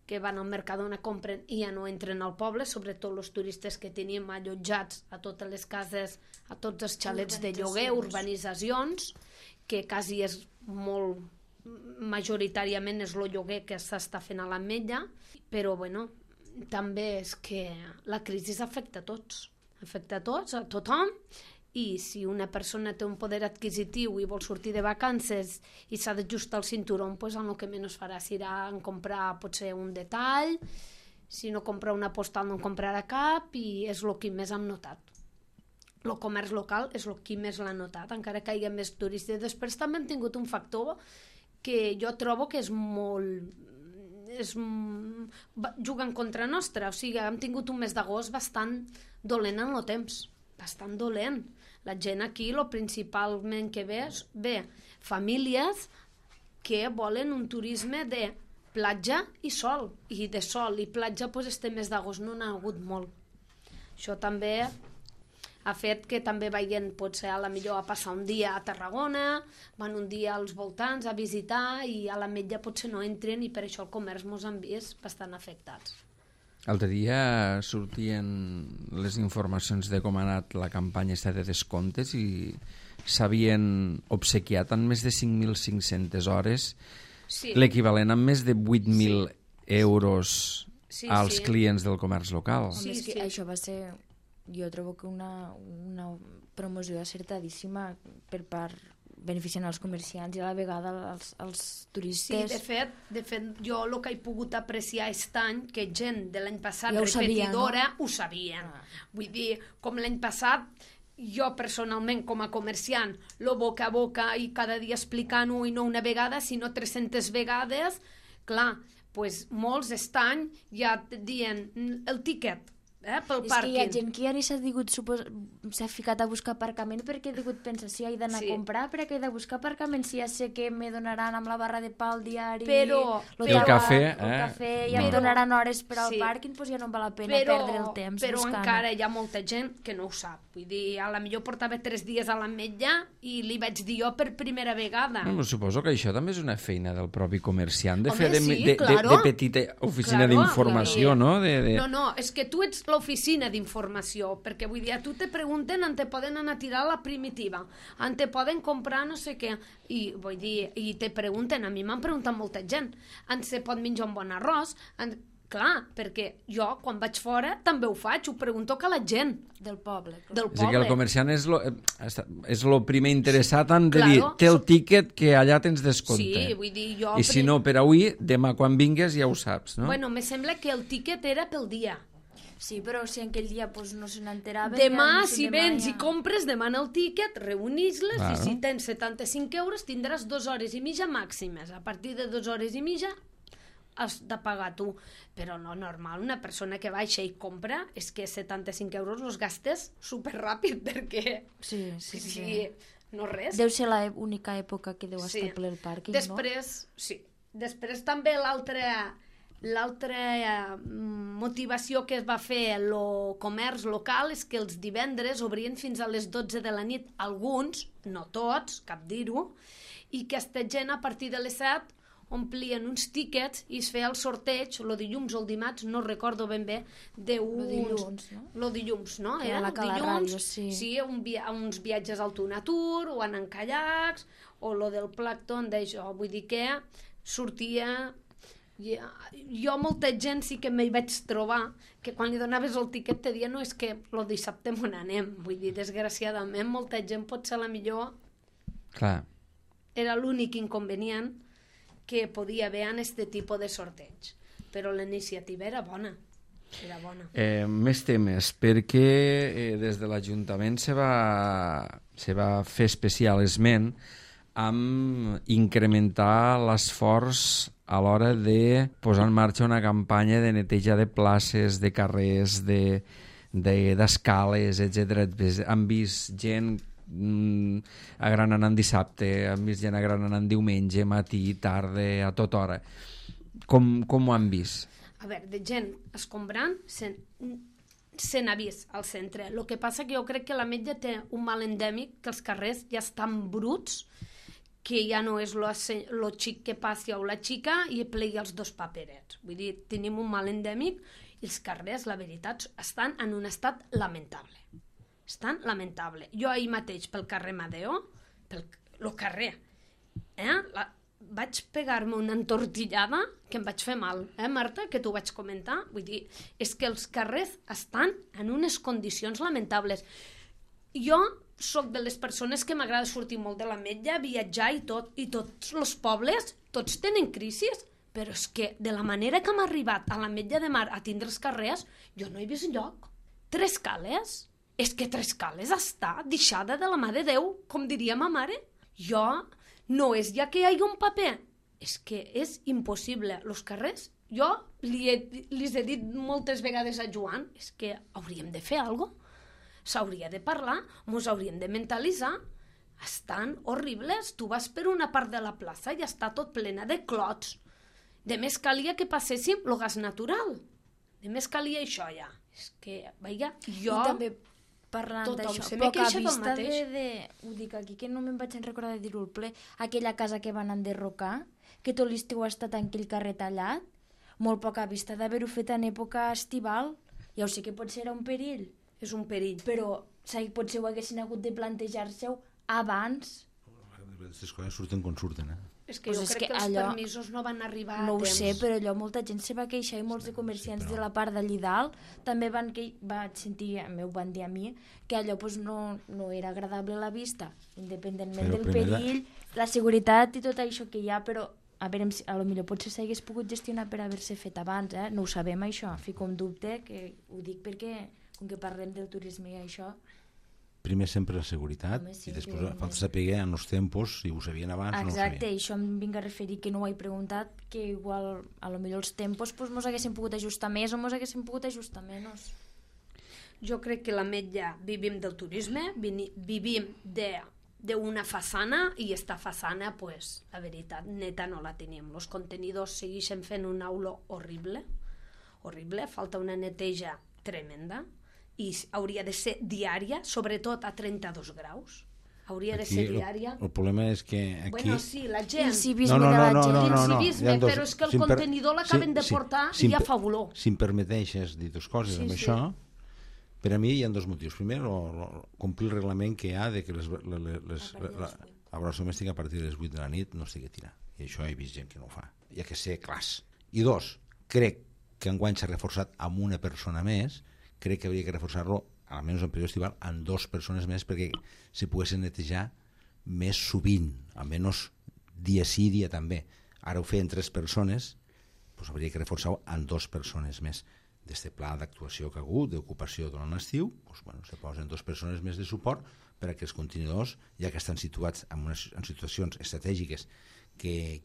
Speaker 4: que van al Mercadona, compren i ja no entren al poble, sobretot els turistes que teníem allotjats a totes les cases, a tots els xalets de lloguer, urbanitzacions, que quasi és majoritàriament és el lloguer que s'està fent a l'Ametlla, però bueno, també és que la crisi afecta a tots, a tothom, i si una persona té un poder adquisitiu i vol sortir de vacances i s'ha d'ajustar el cinturó, doncs el que menys farà serà en comprar potser un detall, si no compra una postal no en comprarà cap, i és el que més hem notat. El comerç local és el que més l'ha notat, encara que hi ha més turistes. Després també hem tingut un factor que jo trobo que és molt... juga en contra nostra, o sigui, hem tingut un mes d'agost bastant dolent en el temps, bastant dolent. La gent aquí, el principalment que ve famílies que volen un turisme de platja i sol, i de sol i platja doncs este mes d'agost no n'ha hagut molt. Això també ha fet que també vagin potser a la millor a passar un dia a Tarragona, van un dia als voltants a visitar i a la metlla potser no entren, i per això el comerç mos han vist bastant afectats.
Speaker 1: L'altre dia sortien les informacions de com ha anat la campanya de descomptes i s'havien obsequiat en més de 5.500 hores, l'equivalent a més de 8.000 euros als clients del comerç local.
Speaker 2: Això va ser, jo trobo que una promoció acertadíssima per part beneficiant els comerciants i a la vegada els turistes.
Speaker 4: Sí, de fet, jo el que he pogut apreciar aquest any, que gent de l'any passat
Speaker 2: ja
Speaker 4: repetidora ho sabien. Vull dir, com l'any passat, jo personalment com a comerciant, lo boca a boca i cada dia explicant-ho, i no una vegada, sinó 300 vegades, clar, pues molts aquest any ja dient el tíquet, pel pàrquing. És que
Speaker 2: hi ha gent que ja ni s'ha ficat a buscar aparcament perquè ha digut, pensa, si he d'anar a comprar, per què he de buscar aparcament si ja sé que me donaran amb la barra de pa al diari,
Speaker 1: el cafè,
Speaker 2: i em donaran hores per al pàrquing, doncs ja no em val la pena perdre el temps
Speaker 4: però
Speaker 2: buscant.
Speaker 4: Encara hi ha molta gent que no ho sap. Vull dir, a la millor portava 3 dies a l'ametlla i li vaig dir jo per primera vegada.
Speaker 1: Suposo que això també és una feina del propi comerciant, de fer
Speaker 4: de
Speaker 1: petita oficina d'informació, no?
Speaker 4: No, és que tu ets l'oficina d'informació, perquè vull dir, a tu te pregunten on te poden anar a tirar la primitiva, on te poden comprar no sé què, i vull dir, i te pregunten, a mi m'han preguntat molta gent, on se pot menjar un bon arròs, clar, perquè jo quan vaig fora també ho faig, ho pregunto a la gent
Speaker 2: del poble.
Speaker 1: És que el comerciant és el primer interessat en de dir, té el tíquet que allà tens descompte.
Speaker 4: Sí, vull dir, jo...
Speaker 1: I si no per avui, demà quan vingues ja ho saps, no?
Speaker 4: Bueno, me sembla que el tíquet era pel dia.
Speaker 2: Sí, però si aquell dia pues, no se n'enteraven...
Speaker 4: Demà, si vens i compres, demana el tíquet, reunís-les, i si tens 75 euros tindràs 2 hores i mitja màximes. A partir de 2 hores i mitja has de pagar tu. Però no, normal, una persona que baixa i compra, és que 75 euros els gastes superràpid, perquè...
Speaker 2: Sí.
Speaker 4: No res.
Speaker 2: Deu ser l'única època que deu estar ple el pàrquing,
Speaker 4: Després també l'altra motivació que es va fer el comerç local és que els divendres obrien fins a les 12 de la nit, alguns, no tots, cap dir-ho, i que aquesta gent a partir de les 7 omplien uns tíquets i es feia el sorteig, el dilluns o el dimarts, no recordo ben bé, el dilluns, no?
Speaker 2: Era la Cala Ràdio, sí.
Speaker 4: Sí, uns viatges al Tunatur, o en caiacs, o lo del plàncton d'això, vull dir que sortia... Jo molta gent sí que m'hi vaig trobar que quan li donaves el tiquet te dia no és que el dissabte m'on anem, vull dir, desgraciadament molta gent potser a la millor era l'únic inconvenient que podia haver en aquest tipus de sorteig, però la iniciativa era bona.
Speaker 1: Més temes, perquè des de l'Ajuntament se va fer especial esment amb incrementar l'esforç a l'hora de posar en marxa una campanya de neteja de places, de carrers, d'escales, etc. Han vist gent agranant dissabte, han vist gent agranant diumenge, matí, tarda, a tota hora. Com ho han vist?
Speaker 4: A veure, de gent escombrant se n'ha vist al centre. El que passa que jo crec que l'Ametlla té un mal endèmic, que els carrers ja estan bruts, que ja no és lo xic que passi o la xica i plegui els 2 paperets. Vull dir, tenim un mal endèmic i els carrers, la veritat, estan en un estat lamentable. Jo ahir mateix pel carrer Madeo, el carrer, vaig pegar-me una entortillada que em vaig fer mal, Marta, que t'ho vaig comentar. Vull dir, és que els carrers estan en unes condicions lamentables. Jo sóc de les persones que m'agrada sortir molt de l'Ametlla, viatjar i tot, i tots els pobles, tots tenen crisis, però és que de la manera que hem arribat a l'Ametlla de Mar a tindre els carrers, jo no he vist enlloc. 3 cales? És que 3 cales està deixada de la mà de Déu, com diria ma mare. Jo, no és ja que hi hagi un paper, és que és impossible. Els carrers, jo li he dit moltes vegades a Joan, és que hauríem de fer alguna cosa. S'hauria de parlar, ens hauríem de mentalitzar. Estan horribles. Tu vas per una part de la plaça i està tot plena de clots. De més calia que passéssim el gas natural. De més calia això ja. És que, vaja, jo...
Speaker 2: I també parlant d'això, poca vista ho dic aquí, que no me'n vaig recordar de dir-ho al ple, aquella casa que van enderrocar, que tot l'estiu ha estat en aquell carrer tallat, molt poca vista d'haver-ho fet en època estival. Ja ho sé que potser era un perill.
Speaker 4: És un perill.
Speaker 2: Però potser ho haguessin hagut de plantejar-se-ho abans.
Speaker 3: Aquestes coses surten com surten,
Speaker 4: És que jo crec que els permisos no van arribar a temps.
Speaker 2: No ho sé, però allò molta gent se va queixar i molts de comerciants de la part d'allí dalt també vaig sentir, m'ho van dir a mi, que allò no era agradable a la vista, independentment del perill, la seguretat i tot això que hi ha, però a veure, potser potser s'hagués pogut gestionar per haver-se fet abans, no ho sabem això, fico en dubte, que ho dic perquè com que parlem del turisme i això...
Speaker 3: Primer sempre la seguretat, i després falta saber en els tempos, si ho sabien abans o no ho sabien.
Speaker 2: Exacte, això em vinc a referir, que no ho he preguntat, que igual a lo millor els tempos mos haguessin pogut ajustar més o mos haguessin pogut ajustar menys.
Speaker 4: Jo crec que l'Ametlla vivim del turisme, vivim d'una façana, i esta façana, la veritat, neta no la tenim. Els contenidors segueixen fent una olor horrible, falta una neteja tremenda, i hauria de ser diària, sobretot a 32 graus. Hauria de ser diària.
Speaker 3: El problema és que aquí...
Speaker 4: Bueno, sí, la gent...
Speaker 2: L'incivisme de la gent.
Speaker 4: L'incivisme, però és que el contenidor l'acaben de portar i ja fa olor.
Speaker 3: Si em permeteixes dir dues coses amb això, per a mi hi ha 2 motius. Primer, complir el reglament que hi ha de que la brossa domèstica a partir de les 8 de la nit no estigui a tirar. I això he vist gent que no ho fa. Hi ha que ser clars. I 2, crec que enguany s'ha reforçat amb una persona més. Crec que hauria que reforçar-lo, almenys en període estival, amb 2 persones més perquè se poguessin netejar més sovint, almenys dia sí, dia també. Ara ho feien 3 persones, doncs hauria que reforçar-ho amb 2 persones més. D'este pla d'actuació que ha hagut, d'ocupació durant l'estiu, doncs, se posen 2 persones més de suport per a que els contenidors, ja que estan situats en situacions estratègiques de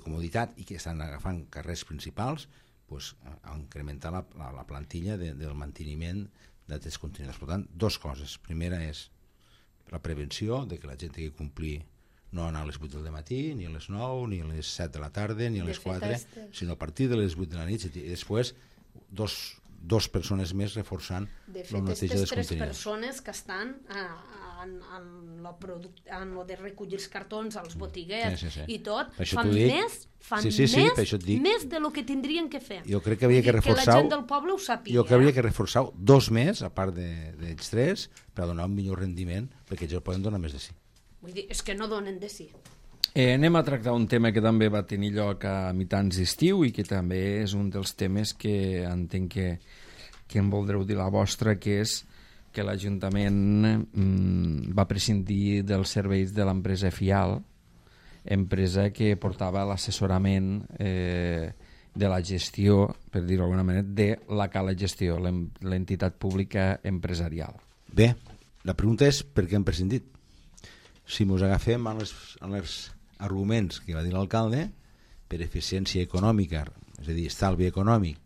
Speaker 3: comoditat i que estan agafant carrers principals, a incrementar la plantilla del manteniment d'aquests contenidors. Per tant, 2 coses. Primera és la prevenció de que la gent tingui que complir no anar a les 8 del matí, ni a les 9, ni a les 7 de la tarda, ni a les 4, sinó a partir de les 8 de la nit, i després 2 persones més reforçant la neteja dels contenidors.
Speaker 4: De fet, aquestes 3 persones que estan en lo de recollir els cartons als botiguers i tot, fan més de lo que tindrien que fer.
Speaker 3: Jo crec que havia que reforçar...
Speaker 4: Que la gent del poble ho sàpiga.
Speaker 3: Jo crec que havia que reforçar 2 més, a part d'ells 3, per donar un millor rendiment, perquè ells poden donar més de sí.
Speaker 4: Vull dir, és que no donen de sí.
Speaker 1: Anem a tractar un tema que també va tenir lloc a mitjans d'estiu i que també és un dels temes que entenc que em voldreu dir la vostra, que és que l'Ajuntament va prescindir dels serveis de l'empresa FIAL, empresa que portava l'assessorament de la gestió, per dir-ho d'alguna manera, de la Cala Gestió, l'entitat pública empresarial.
Speaker 3: Bé, la pregunta és per què hem prescindit. Si ens agafem als arguments que va dir l'alcalde, per eficiència econòmica, és a dir, estalvi econòmic,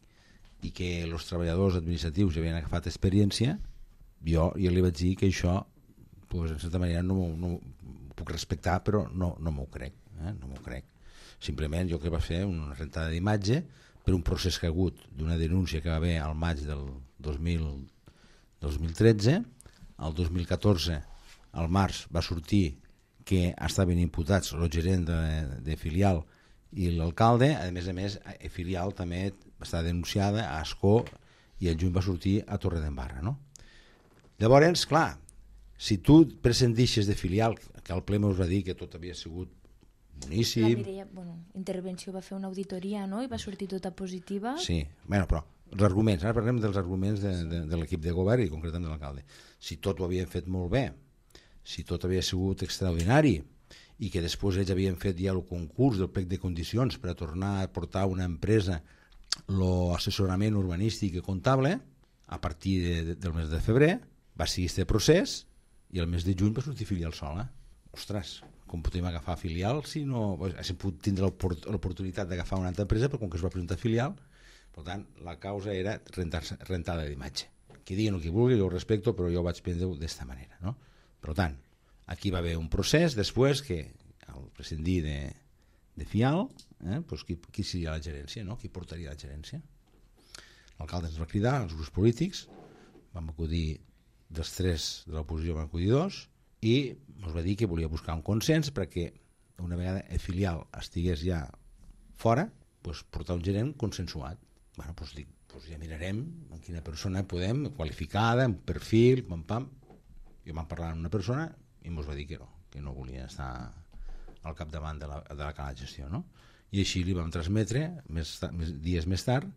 Speaker 3: i que els treballadors administratius ja havien agafat experiència, jo li vaig dir que això, en certa manera, no ho puc respectar, però no m'ho crec. No m'ho crec. Simplement jo que va fer una rentada d'imatge per un procés que ha hagut d'una denúncia que va haver al maig del 2013, el 2014, al març, va sortir que estaven imputats el gerent de filial i l'alcalde. A més, filial també està denunciada a Ascó i el juny va sortir a Torredembarra, no? Llavors, clar, si tu prescindixes de filial, que el ple us va dir que tot havia sigut munícip...
Speaker 2: La Mireia, Intervenció va fer una auditoria, no?, i va sortir tota positiva.
Speaker 3: Sí, però els arguments, ara parlem dels arguments de l'equip de govern i concretament de l'alcalde. Si tot ho havien fet molt bé, si tot havia sigut extraordinari i que després ells havien fet ja el concurs del plec de condicions per a tornar a portar una empresa l'assessorament urbanístic i comptable, a partir del mes de febrer va seguir aquest procés i el mes de juny va sortir filial sola. Ostres, com podem agafar filial si no... Hauríem pogut tindre l'oportunitat d'agafar una altra empresa, però com que es va presentar filial, per tant, la causa era rentada d'imatge. Qui digui el que vulgui, jo ho respecto, però jo ho vaig prendre d'esta manera, no? Per tant, aquí va haver un procés, després que al prescindir de Fial, doncs qui seria la gerència, no? Qui portaria la gerència? L'alcalde ens va cridar, els grups polítics, vam acudir dels 3 de l'oposició, van acudir 2, i ens va dir que volia buscar un consens perquè una vegada el filial estigués ja fora, doncs portar un gerent consensuat. Bueno, doncs dic, ja mirarem amb quina persona podem, qualificada, amb perfil, pam. Jo vam parlar amb una persona i ens va dir que no volia estar al capdavant de la cala de gestió, no? I així li vam transmetre dies més tard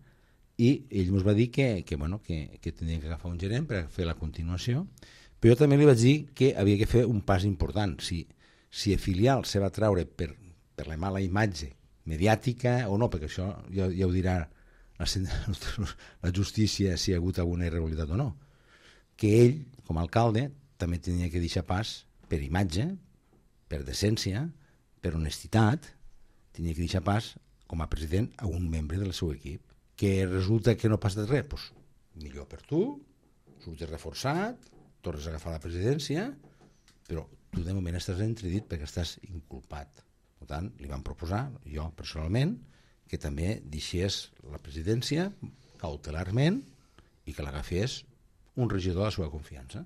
Speaker 3: i ell ens va dir que tindrien que agafar un gerent per fer la continuació, però jo també li vaig dir que havia que fer un pas important. Si el filial se va treure per la mala imatge mediàtica o no, perquè això ja ho dirà la justícia si hi ha hagut alguna irregularitat o no, que ell, com a alcalde, també tenia que deixar pas per imatge, per decència, per honestitat, tenia que deixar pas com a president a un membre del seu equip. Que resulta que no passa res, doncs millor per tu, surtes reforçat, tornes a agafar la presidència, però tu de moment estàs entredit perquè estàs inculpat. Per tant, li vam proposar, jo personalment, que també deixés la presidència cautelarment i que l'agafés un regidor de la seva confiança.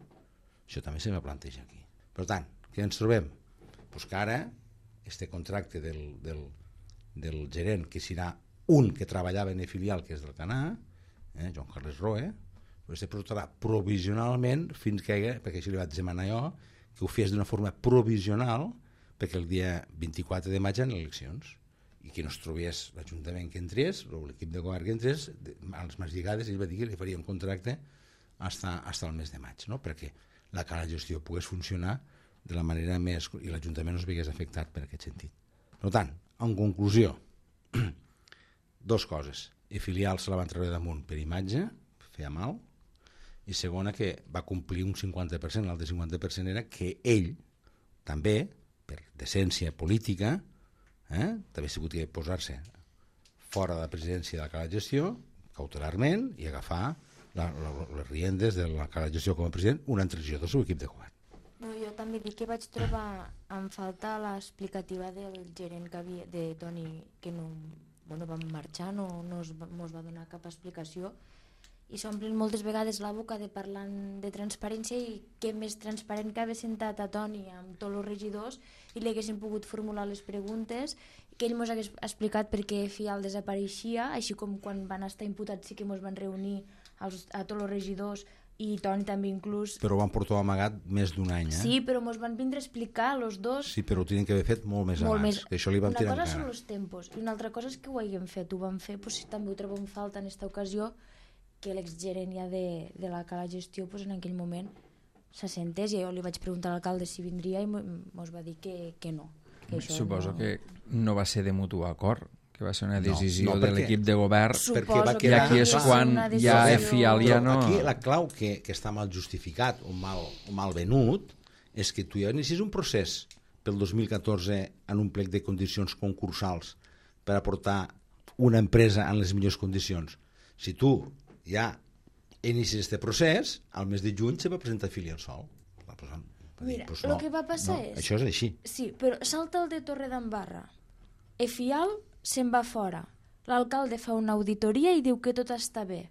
Speaker 3: Això també se va plantejar aquí. Per tant, què ens trobem? Pues que ara, este contracte del gerent, que serà un que treballava en el filial, que és del Canà, Joan Carles Roe, se portarà provisionalment fins que, perquè això li vaig demanar jo, que ho fes d'una forma provisional perquè el dia 24 de maig hi ha eleccions i que no es trobés l'Ajuntament que entrés, l'equip de govern que entrés, a les mans lligades, ell va dir que li faria un contracte fins al mes de maig, no? Perquè la cala de gestió pogués funcionar de la manera més... i l'Ajuntament no es veiés afectat per aquest sentit. Per tant, en conclusió, 2 coses. El filial se la van treure damunt per imatge, feia mal, i segona que va complir un 50%, l'altre 50% era que ell també, per decència política, també ha sigut que posar-se fora de la presidència de la cala de gestió, cautelarment, i agafar les riendes de la cala de gestió com a president un altre regidor del seu equip de govern.
Speaker 2: Jo també dic que vaig trobar en falta l'explicativa del gerent de Toni, que no van marxar, no mos va donar cap explicació, i s'omplen moltes vegades la boca de parlar de transparència, i què més transparent que haver sentat a Toni amb tots els regidors i li haguessin pogut formular les preguntes, que ell mos hagués explicat per què Fial desapareixia, així com quan van estar imputats sí que mos van reunir a tots els regidors i Toni també inclús.
Speaker 3: Però ho van portar amagat més d'un any,
Speaker 2: Sí, però mos van vindre a explicar els dos.
Speaker 3: Sí, però ho tenen que haver fet molt més abans, que això li van tirar en cara.
Speaker 2: Una cosa són els tempos i una altra cosa és que ho haguem fet, ho vam fer, doncs també ho trobo en falta en aquesta ocasió, que l'exgerent ja de la cala gestió en aquell moment s'assentés, i jo li vaig preguntar a l'alcalde si vindria i mos va dir que no.
Speaker 1: Suposo que no va ser de mutu acord, que va ser una decisió de l'equip de govern, i aquí és quan ja Fial ja no...
Speaker 3: Aquí la clau que està mal justificat o mal venut és que tu ja inicies un procés pel 2014 en un plec de condicions concursals per aportar una empresa en les millors condicions. Si tu ja inicies aquest procés, al mes de juny se va presentar filial sol.
Speaker 2: Mira, el que va passar és...
Speaker 3: Això és així.
Speaker 2: Sí, però salta el de Torredembarra. Fial se'n va fora. L'alcalde fa una auditoria i diu que tot està bé.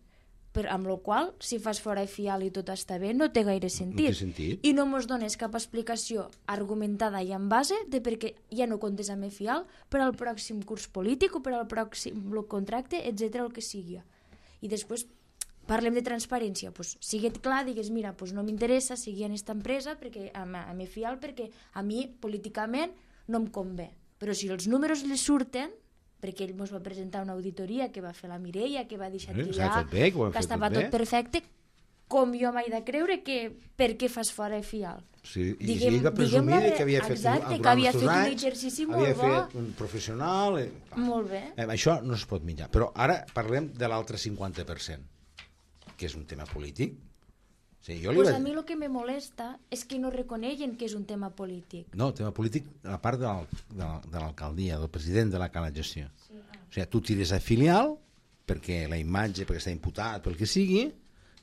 Speaker 2: Amb la qual cosa, si fas fora Fial i tot està bé, no té gaire sentit.
Speaker 3: No té sentit.
Speaker 2: I no mos dones cap explicació argumentada i en base de perquè ja no comptes amb Fial per al pròxim curs polític o per al pròxim contracte, etc., el que sigui. I després parlem de transparència, doncs siguet clar, digues, mira, doncs no m'interessa seguir en aquesta empresa perquè, amb Fial, perquè a mi políticament no em convé, Però si els números li surten, perquè ell ens va presentar una auditoria que va fer la Mireia, que va deixar triar, que estava tot perfecte, com jo m'he de creure que per què fas fora el FIAL?
Speaker 3: Sí, i ell va presumir que havia fet,
Speaker 2: exacte, que havia fet un exercici molt bo.
Speaker 3: Havia fet un professional.
Speaker 2: Molt bé.
Speaker 3: Això no es pot mitjar. Però ara parlem de l'altre 50%, que és un tema polític. Sí,
Speaker 2: pues a mi el que me molesta és que no reconeguen que és un tema polític.
Speaker 3: No, tema polític a part de l'alcaldia, del president de la Cala Gestió. Sí, O sigui, tu tires a filial perquè la imatge, perquè està imputat, pel que sigui,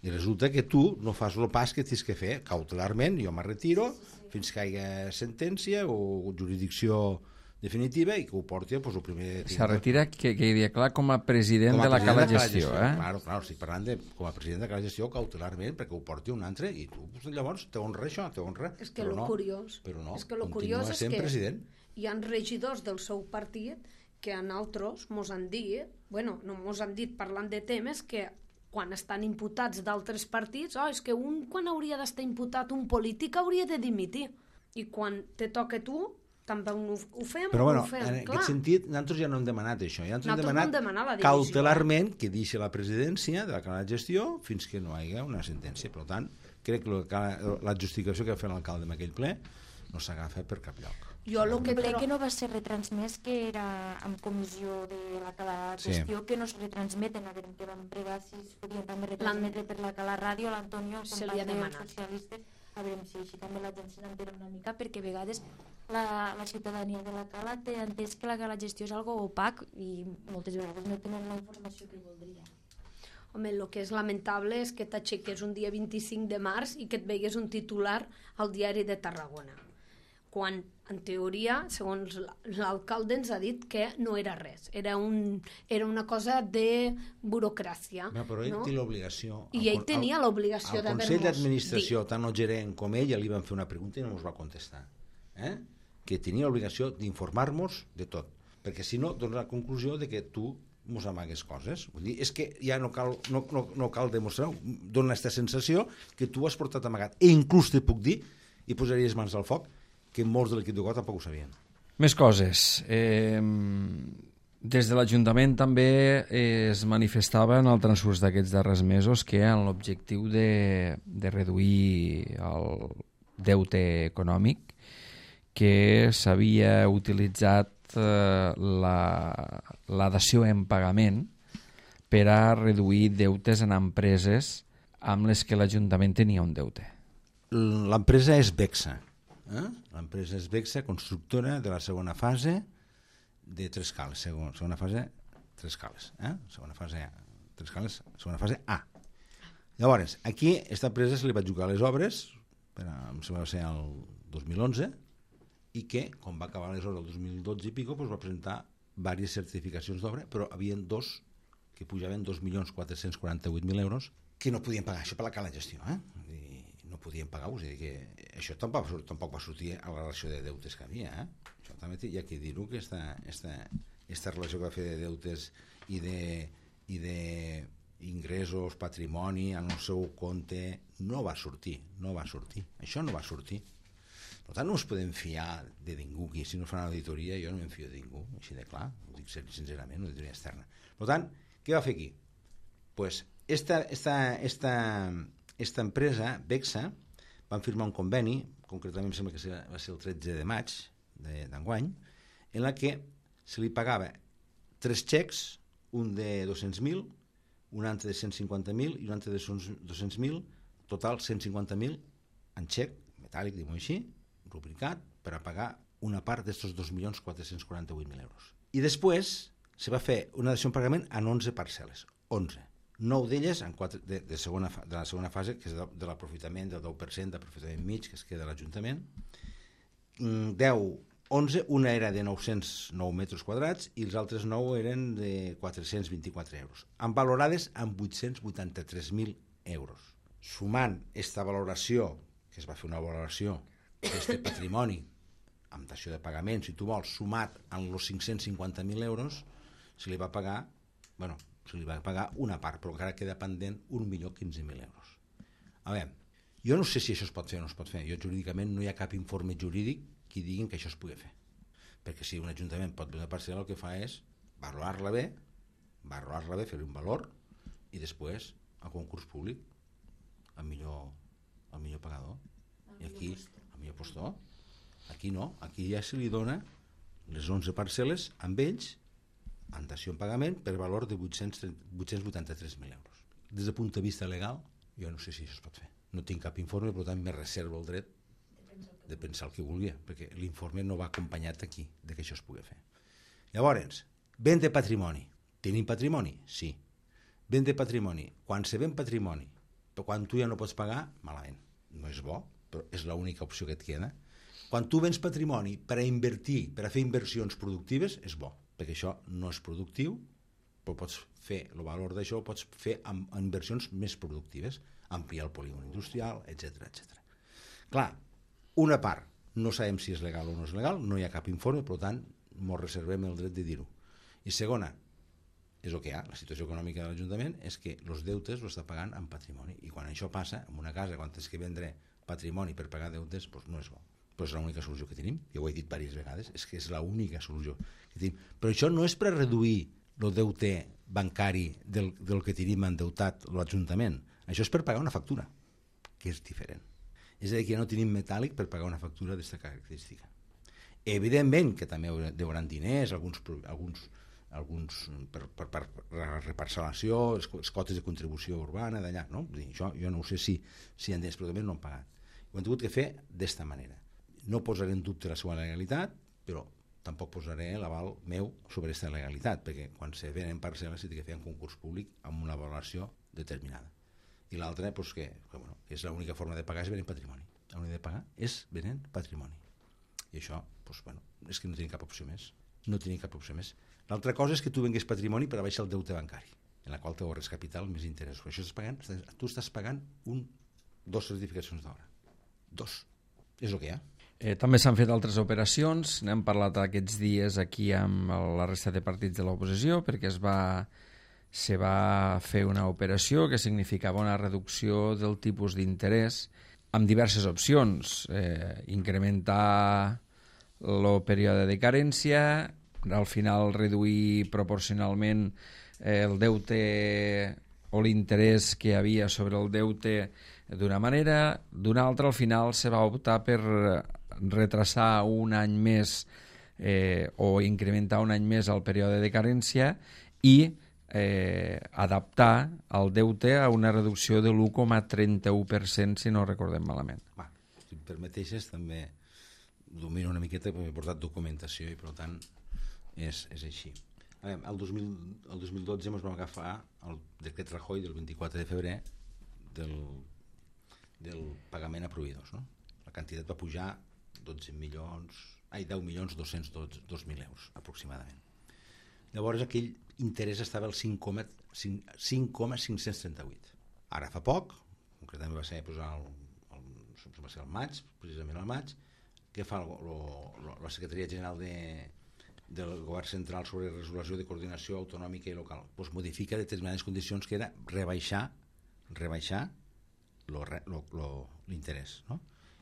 Speaker 3: i resulta que tu no fas el pas que tens que fer cautelarment. Jo me retiro fins que hi hagi sentència o jurisdicció definitiva i que ho porti pues, el primer...
Speaker 1: Se retira, que quedi clar, com a president de la Cala Gestió.
Speaker 3: Claro, estic parlant com a president de Cala Gestió cautelarment perquè ho porti un altre i tu pues, llavors t'honra això, t'honra.
Speaker 4: És que el curiós
Speaker 3: continua sent president.
Speaker 4: Hi ha regidors del seu partit que a nosaltres mos han dit, bueno, no mos han dit parlant de temes que quan estan imputats d'altres partits, és que quan hauria d'estar imputat un polític hauria de dimitir. I quan te toca tu, també ho fem.
Speaker 3: Però bueno,
Speaker 4: ho fem,
Speaker 3: en aquest sentit, nosaltres ja no hem demanat això. Ja
Speaker 4: nosaltres
Speaker 3: hem demanat cautelarment que deixi la presidència de la Cala de Gestió fins que no hi hagi una sentència. Per tant, crec que la justificació que va fer l'alcalde en aquell ple no s'agafa per cap lloc.
Speaker 2: El ple que no va ser retransmès, que era en comissió de la Cala Gestió, que no es retransmeten, a veure, que vam pregar si es podien també retransmetre per la Cala Ràdio, l'Antonio, el company dels socialistes, a veure si així també la gent se n'entera una mica, perquè a vegades la ciutadania de la Cala té entès que la Cala Gestió és algo opac i moltes vegades no tenen la informació que voldria.
Speaker 4: Home, el que és lamentable és que t'aixeques un dia 25 de març i que et veigues un titular al diari de Tarragona, quan, en teoria, segons l'alcalde ens ha dit que no era res, era una cosa de burocràcia.
Speaker 3: Però ell té l'obligació...
Speaker 4: I ell tenia l'obligació d'haver-nos dit.
Speaker 3: Al Consell d'Administració, tant el gerent com ell, li van fer una pregunta i no ens va contestar. Que tenia l'obligació d'informar-nos de tot, perquè si no, dona la conclusió de que tu mos amagues coses. Vull dir, és que ja no cal demostrar, dona aquesta sensació que tu has portat amagat. I inclús te puc dir, i posaries mans al foc, que molts de l'equip de Go tampoc ho sabien.
Speaker 1: Més coses. Des de l'Ajuntament també es manifestava en el transcurs d'aquests darrers mesos que en l'objectiu de reduir el deute econòmic, que s'havia utilitzat la dació en pagament per a reduir deutes en empreses amb les que l'Ajuntament tenia un deute.
Speaker 3: L'empresa és Bexa. L'empresa és Bexa, constructora de la segona fase de 3 cales. Segona fase, 3 cales. Segona fase A. Llavors, aquí, aquesta empresa se li va jugar les obres, em sembla que va ser el 2011, i que, quan va acabar les obres el 2012 i pico, va presentar diverses certificacions d'obra, però hi havia 2 que pujaven 2.448.000 euros que no podien pagar. Això per la Cala Gestió, no podien pagar, és a dir, que això tampoc va sortir a la relació de deutes que havia. Això també hi ha que dir-ho, que aquesta relació que va fer de deutes i d'ingressos, patrimoni, en el seu compte, no va sortir. Això no va sortir. Per tant, no ens podem fiar de ningú, que si no fan l'auditoria jo no em fio de ningú, així de clar, ho dic sincerament, una auditoria externa. Per tant, què va fer aquí? Pues esta empresa, Bexa, van firmar un conveni, concretament em sembla que va ser el 13 de maig d'enguany, en la que se li pagava 3 xecs, un de 200.000, un altre de 150.000 i un altre de 200.000, total 150.000 en xec metàl·lic, diguem-ho així, rubricat, per a pagar una part d'estos 2.448.000 euros. I després se va fer una dació en pagament en 11 parcel·les, 11. 9 d'elles de la segona fase, que és de l'aprofitament del 10%, d'aprofitament mig, que es queda a l'Ajuntament. 11, una era de 909 metres quadrats i els altres 9 eren de 424 euros, amb valorades amb 883.000 euros. Sumant aquesta valoració, que es va fer una valoració d'aquest patrimoni, amb dació de pagament, si tu vols, sumat amb els 550.000 euros, se li va pagar, se li va pagar una part, però encara queda pendent 1.015.000 euros. A veure, jo no sé si això es pot fer o no es pot fer. Jo jurídicament no hi ha cap informe jurídic que diguin que això es pugui fer. perquè si un ajuntament pot vendre una parcel·la, el que fa és valorar-la bé, fer-hi un valor i després a concurs públic al millor pagador. I aquí, al millor postor. Aquí no, aquí ja se li dona les 11 parcel·les amb ells en dació en pagament per valor de 883.000 euros. Des del punt de vista legal, jo no sé si això es pot fer. No tinc cap informe, per tant me reservo el dret de pensar el que vulgui, perquè l'informe no va acompanyat aquí de que això es pugui fer. Llavors, vent de patrimoni. Tenim patrimoni? Sí. Vent de patrimoni. Quan se ven patrimoni, però quan tu ja no pots pagar, malament. No és bo, però és l'única opció que et queda. Quan tu vens patrimoni per a invertir, per a fer inversions productives, és bo, perquè això no és productiu, però pots fer el valor d'això, pots fer amb inversions més productives, ampliar el polígon industrial, etc. Clar, una part, no sabem si és legal o no és legal, no hi ha cap informe, per tant, ens reservem el dret de dir-ho. I segona, és el que hi ha, la situació econòmica de l'Ajuntament és que els deutes ho està pagant en patrimoni, i quan això passa, en una casa, quan tens que vendre patrimoni per pagar deutes, doncs no és bo. Però és l'única solució que tenim, jo ho he dit diverses vegades, és que és l'única solució que tenim. Però això no és per reduir el deute bancari del que tenim endeutat l'Ajuntament, això és per pagar una factura, que és diferent. És a dir, que ja no tenim metàl·lic per pagar una factura d'aquesta característica. Evidentment que també deuran diners, alguns per reparcel·lació, les cotes de contribució urbana d'allà, no? Això jo no ho sé si han diners, però també no han pagat. Ho hem hagut de fer d'esta manera. No posaré en dubte la seva legalitat, però tampoc posaré l'aval meu sobre aquesta legalitat, perquè quan se venen parcel·les s'ha de fer un concurs públic amb una valoració determinada. I l'altra, doncs, que és l'única forma de pagar és venent patrimoni. L'única de pagar és venent patrimoni. I això, és que no tenim cap opció més. No tenim cap opció més. L'altra cosa és que tu vengués patrimoni per a baixar el deute bancari, en la qual te ahorres capital més interessos. Això tu estàs pagant dos certificacions d'obra. Dos. És el que hi ha.
Speaker 1: També s'han fet altres operacions, n'hem parlat aquests dies aquí amb la resta de partits de l'oposició, perquè se va fer una operació que significava una reducció del tipus d'interès amb diverses opcions, incrementar el període de carència, al final reduir proporcionalment el deute o l'interès que hi havia sobre el deute d'una manera, d'una altra al final se va optar per retrasar un any més o incrementar un any més el període de carència i adaptar el deute a una reducció de l'1,31%, si no recordem malament.
Speaker 3: Si em permeteixes, també domino una miqueta perquè he portat documentació i per tant és així. El 2012 ens vam agafar el decret Rajoy del 24 de febrer del pagament a proveïdors, no? La quantitat va pujar 10.202.000 euros aproximadament. Llavors aquell interès estava al 5,538. Ara fa poc, concretament va ser al maig, precisament al maig, que fa la Secretaria General del Govern Central sobre Resolució de Coordinació Autonòmica i Local. Doncs modifica determinades condicions que era rebaixar l'interès, no?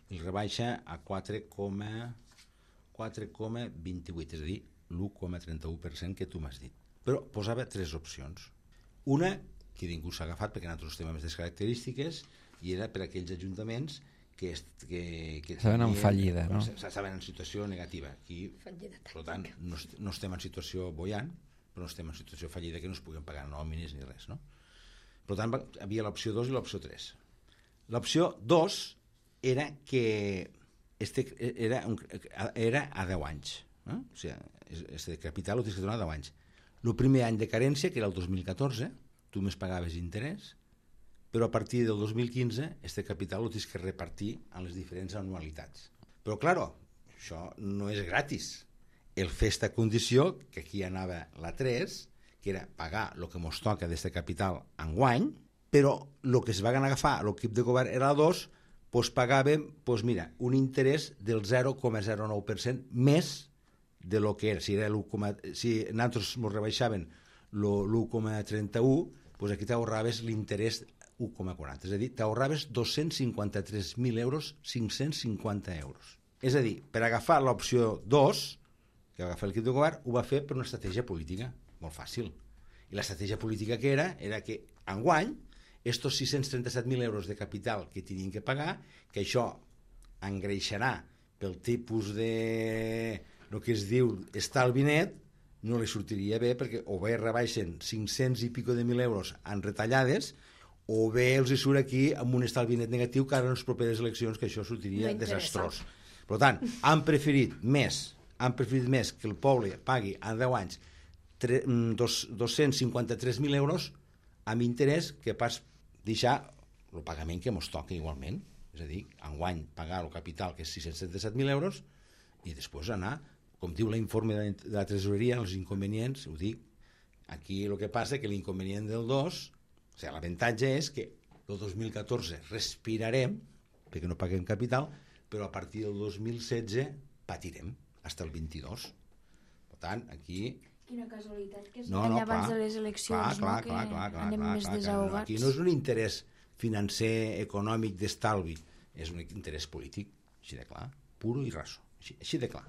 Speaker 3: El rebaixa a 4,28, és a dir, l'1,31% que tu m'has dit. Però posava tres opcions. Una, que ningú s'ha agafat perquè nosaltres tenim aquestes característiques, i era per a aquells ajuntaments que
Speaker 1: estaven en fallida, no?
Speaker 3: Estaven en situació negativa. Aquí, per tant, no estem en situació boiant, però no estem en situació fallida que no es puguin pagar nòmines ni res, no? Per tant, hi havia l'opció 2 i l'opció 3. L'opció 2 era que era a 10 anys. O sigui, este capital ho tens que donar a 10 anys. El primer any de carència, que era el 2014, tu més pagaves interès, però a partir del 2015 este capital ho tens que repartir en les diferents anualitats. Però, clar, això no és gratis. El fer esta condició, que aquí anava la 3, que era pagar el que ens toca d'este capital enguany, però el que es va agafar l'equip de govern era la 2, doncs pagàvem, un interès del 0,09% més de lo que era. Si nosaltres ens rebaixaven l'1,31, doncs aquí t'ahorraves l'interès 1,40. És a dir, t'ahorraves 253.000 euros, 550 euros. És a dir, per agafar l'opció 2, que va agafar l'equip de govern, ho va fer per una estratègia política, molt fàcil. I l'estratègia política que era que enguany, estos 637.000 euros de capital que tenien que pagar, que això engreixarà pel tipus de el que es diu estalvi net, no li sortiria bé, perquè o bé rebaixen 500 i pico de 1.000 euros en retallades, o bé els hi surt aquí amb un estalvi net negatiu que ara en les properes eleccions, que això sortiria desastrós. Per tant, han preferit més que el poble pagui en 10 anys 253.000 euros amb interès que pas deixar el pagament que ens toca igualment. És a dir, enguany pagar el capital, que és 637.000 euros, i després anar, com diu l'informe de la tresoreria, els inconvenients, ho dic, aquí el que passa que l'inconvenient del 2, o sigui, l'avantatge és que el 2014 respirarem, perquè no paguem capital, però a partir del 2016 patirem, fins al 22. Per tant, aquí...
Speaker 2: Quina casualitat, que és abans de les eleccions,
Speaker 3: clar,
Speaker 2: anem més desahogats.
Speaker 3: Aquí no és un interès financer, econòmic, d'estalvi, és un interès polític, així de clar, puro i raso, així de clar.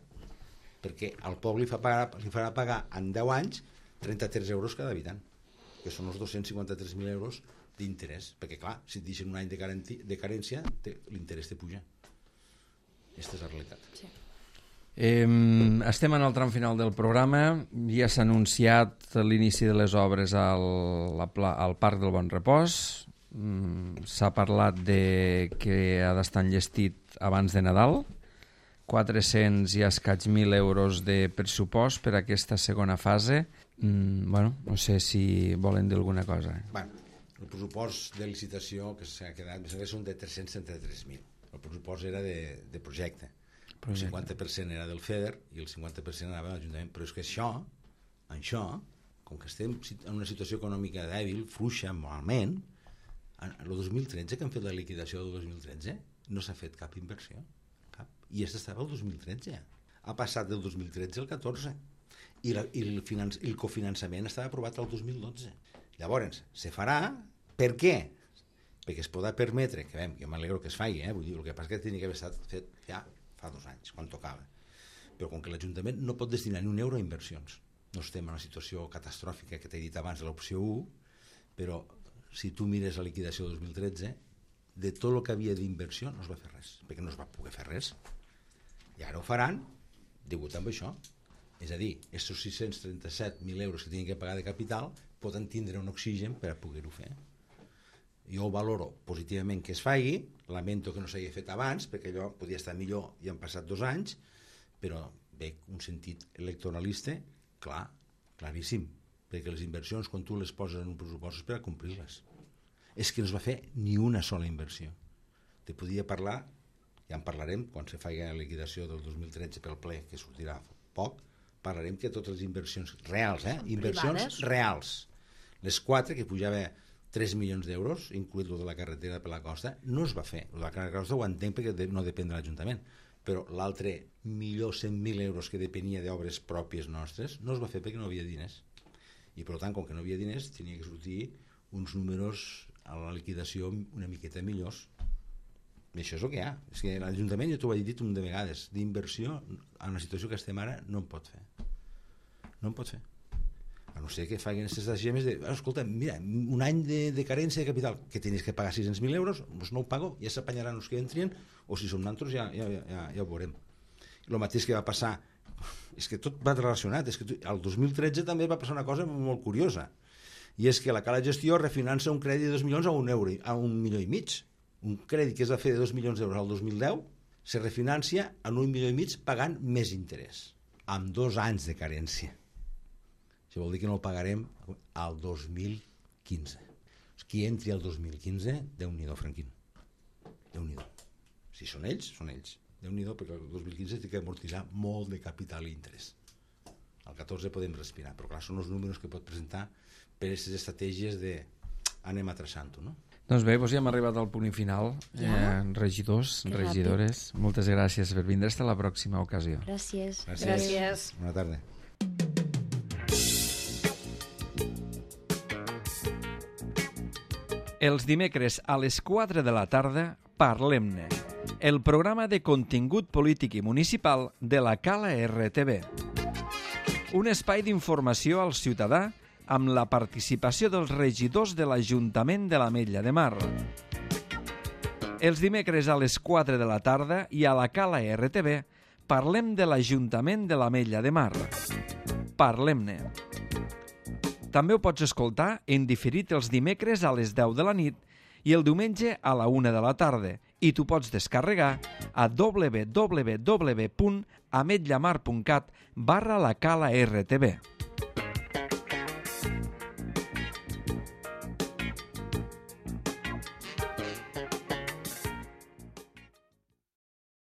Speaker 3: Perquè al poble li farà pagar en 10 anys 33 euros cada habitant, que són els 253.000 euros d'interès, perquè clar, si et deixen un any de carència, l'interès te puja. Aquesta és la realitat.
Speaker 2: Sí.
Speaker 1: Estem en el tram final del programa, ja s'ha anunciat l'inici de les obres al Parc del Bon Repòs, s'ha parlat que ha d'estar enllestit abans de Nadal, 400 i escaig 1.000 euros de pressupost per a aquesta segona fase. Bueno, no sé si volen dir alguna cosa.
Speaker 3: Bueno, el pressupost de licitació que s'ha quedat són de 333.000. El pressupost era de projecte. El 50% era del FEDER i el 50% anava a l'Ajuntament. Però és que això, com que estem en una situació econòmica dèbil, fluixa, malament, el 2013, que han fet la liquidació del 2013, no s'ha fet cap inversió. Cap. I aquesta estava el 2013. Ha passat del 2013 al 14. I el cofinançament estava aprovat el 2012. Llavors, se farà. Per què? Perquè es podrà permetre, que jo m'alegro que es faci, vull dir, el que passa que tenia que haver estat fet ja fa 2 anys, quan tocava. Però com que l'Ajuntament no pot destinar ni un euro a inversions, no estem en una situació catastròfica que t'he dit abans de l'opció 1, però si tu mires la liquidació del 2013, de tot el que havia d'inversió no es va fer res, perquè no es va poder fer res. I ara ho faran degut amb això. És a dir, aquests 637.000 euros que tenen que pagar de capital poden tindre un oxigen per a poder-ho fer. Jo ho valoro positivament que es faci, lamento que no s'hagi fet abans, perquè allò podia estar millor i han passat 2 anys, però veig un sentit electoralista claríssim, perquè les inversions, quan tu les poses en un pressupost, és per a complir-les. És que no es va fer ni una sola inversió. Te podia parlar, ja en parlarem, quan se faci la liquidació del 2013 pel ple, que sortirà poc, parlarem que totes les inversions reals, inversions reals, les 4 que pujava 3 milions d'euros, incluït el de la carretera per la costa, no es va fer. El de la carretera per la costa ho entenc perquè no depèn de l'Ajuntament, però l'altre 1.100.000 euros que depenia d'obres pròpies nostres no es va fer perquè no havia diners. I per tant, com que no havia diners, tenia que sortir uns números a la liquidació una miqueta millors. I això és el que hi ha. És que l'Ajuntament, ja t'ho he dit un de vegades, d'inversió, en la situació que estem ara, no en pot fer. No en pot fer. A no ser que facin aquestes estratègies de escolta, mira, un any de carència de capital que tenies que pagar 600.000 euros, doncs no ho pago, ja s'apanyaran els que entrien, o si som nosaltres ja ho veurem. El mateix que va passar, és que tot va relacionat, és que el 2013 també va passar una cosa molt curiosa, i és que la Cala Gestió refinança un crèdit de 2 milions a 1 euro, a 1,5 milions. Un crèdit que es va fer de 2 milions d'euros al 2010 se refinancia en 1,5 milions pagant més interès, amb 2 anys de carència. Això vol dir que no el pagarem al 2015. Qui entri al 2015, Déu-n'hi-do, Franquín. Déu-n'hi-do. Si són ells, són ells. Déu-n'hi-do, perquè el 2015 té que amortitzar molt de capital i interès. Al 14 podem respirar, però clar, són els números que pot presentar per aquestes estratègies de anem a traçant-ho, no?
Speaker 1: Doncs bé, ja hem arribat al punt final. Regidors, regidores, moltes gràcies per vindre. Fins a la pròxima ocasió.
Speaker 2: Gràcies.
Speaker 3: Bona tarda.
Speaker 1: Els dimecres a les 4 de la tarda, Parlem-ne, el programa de contingut polític i municipal de la Cala RTV. Un espai d'informació al ciutadà amb la participació dels regidors de l'Ajuntament de l'Ametlla de Mar. Els dimecres a les 4 de la tarda i a la Cala RTV parlem de l'Ajuntament de l'Ametlla de Mar. Parlem-ne. També ho pots escoltar en diferit els dimecres a les 10 de la nit i el diumenge a la 1 de la tarda i t'ho pots descarregar a www.ametllamar.cat/la Cala RTV.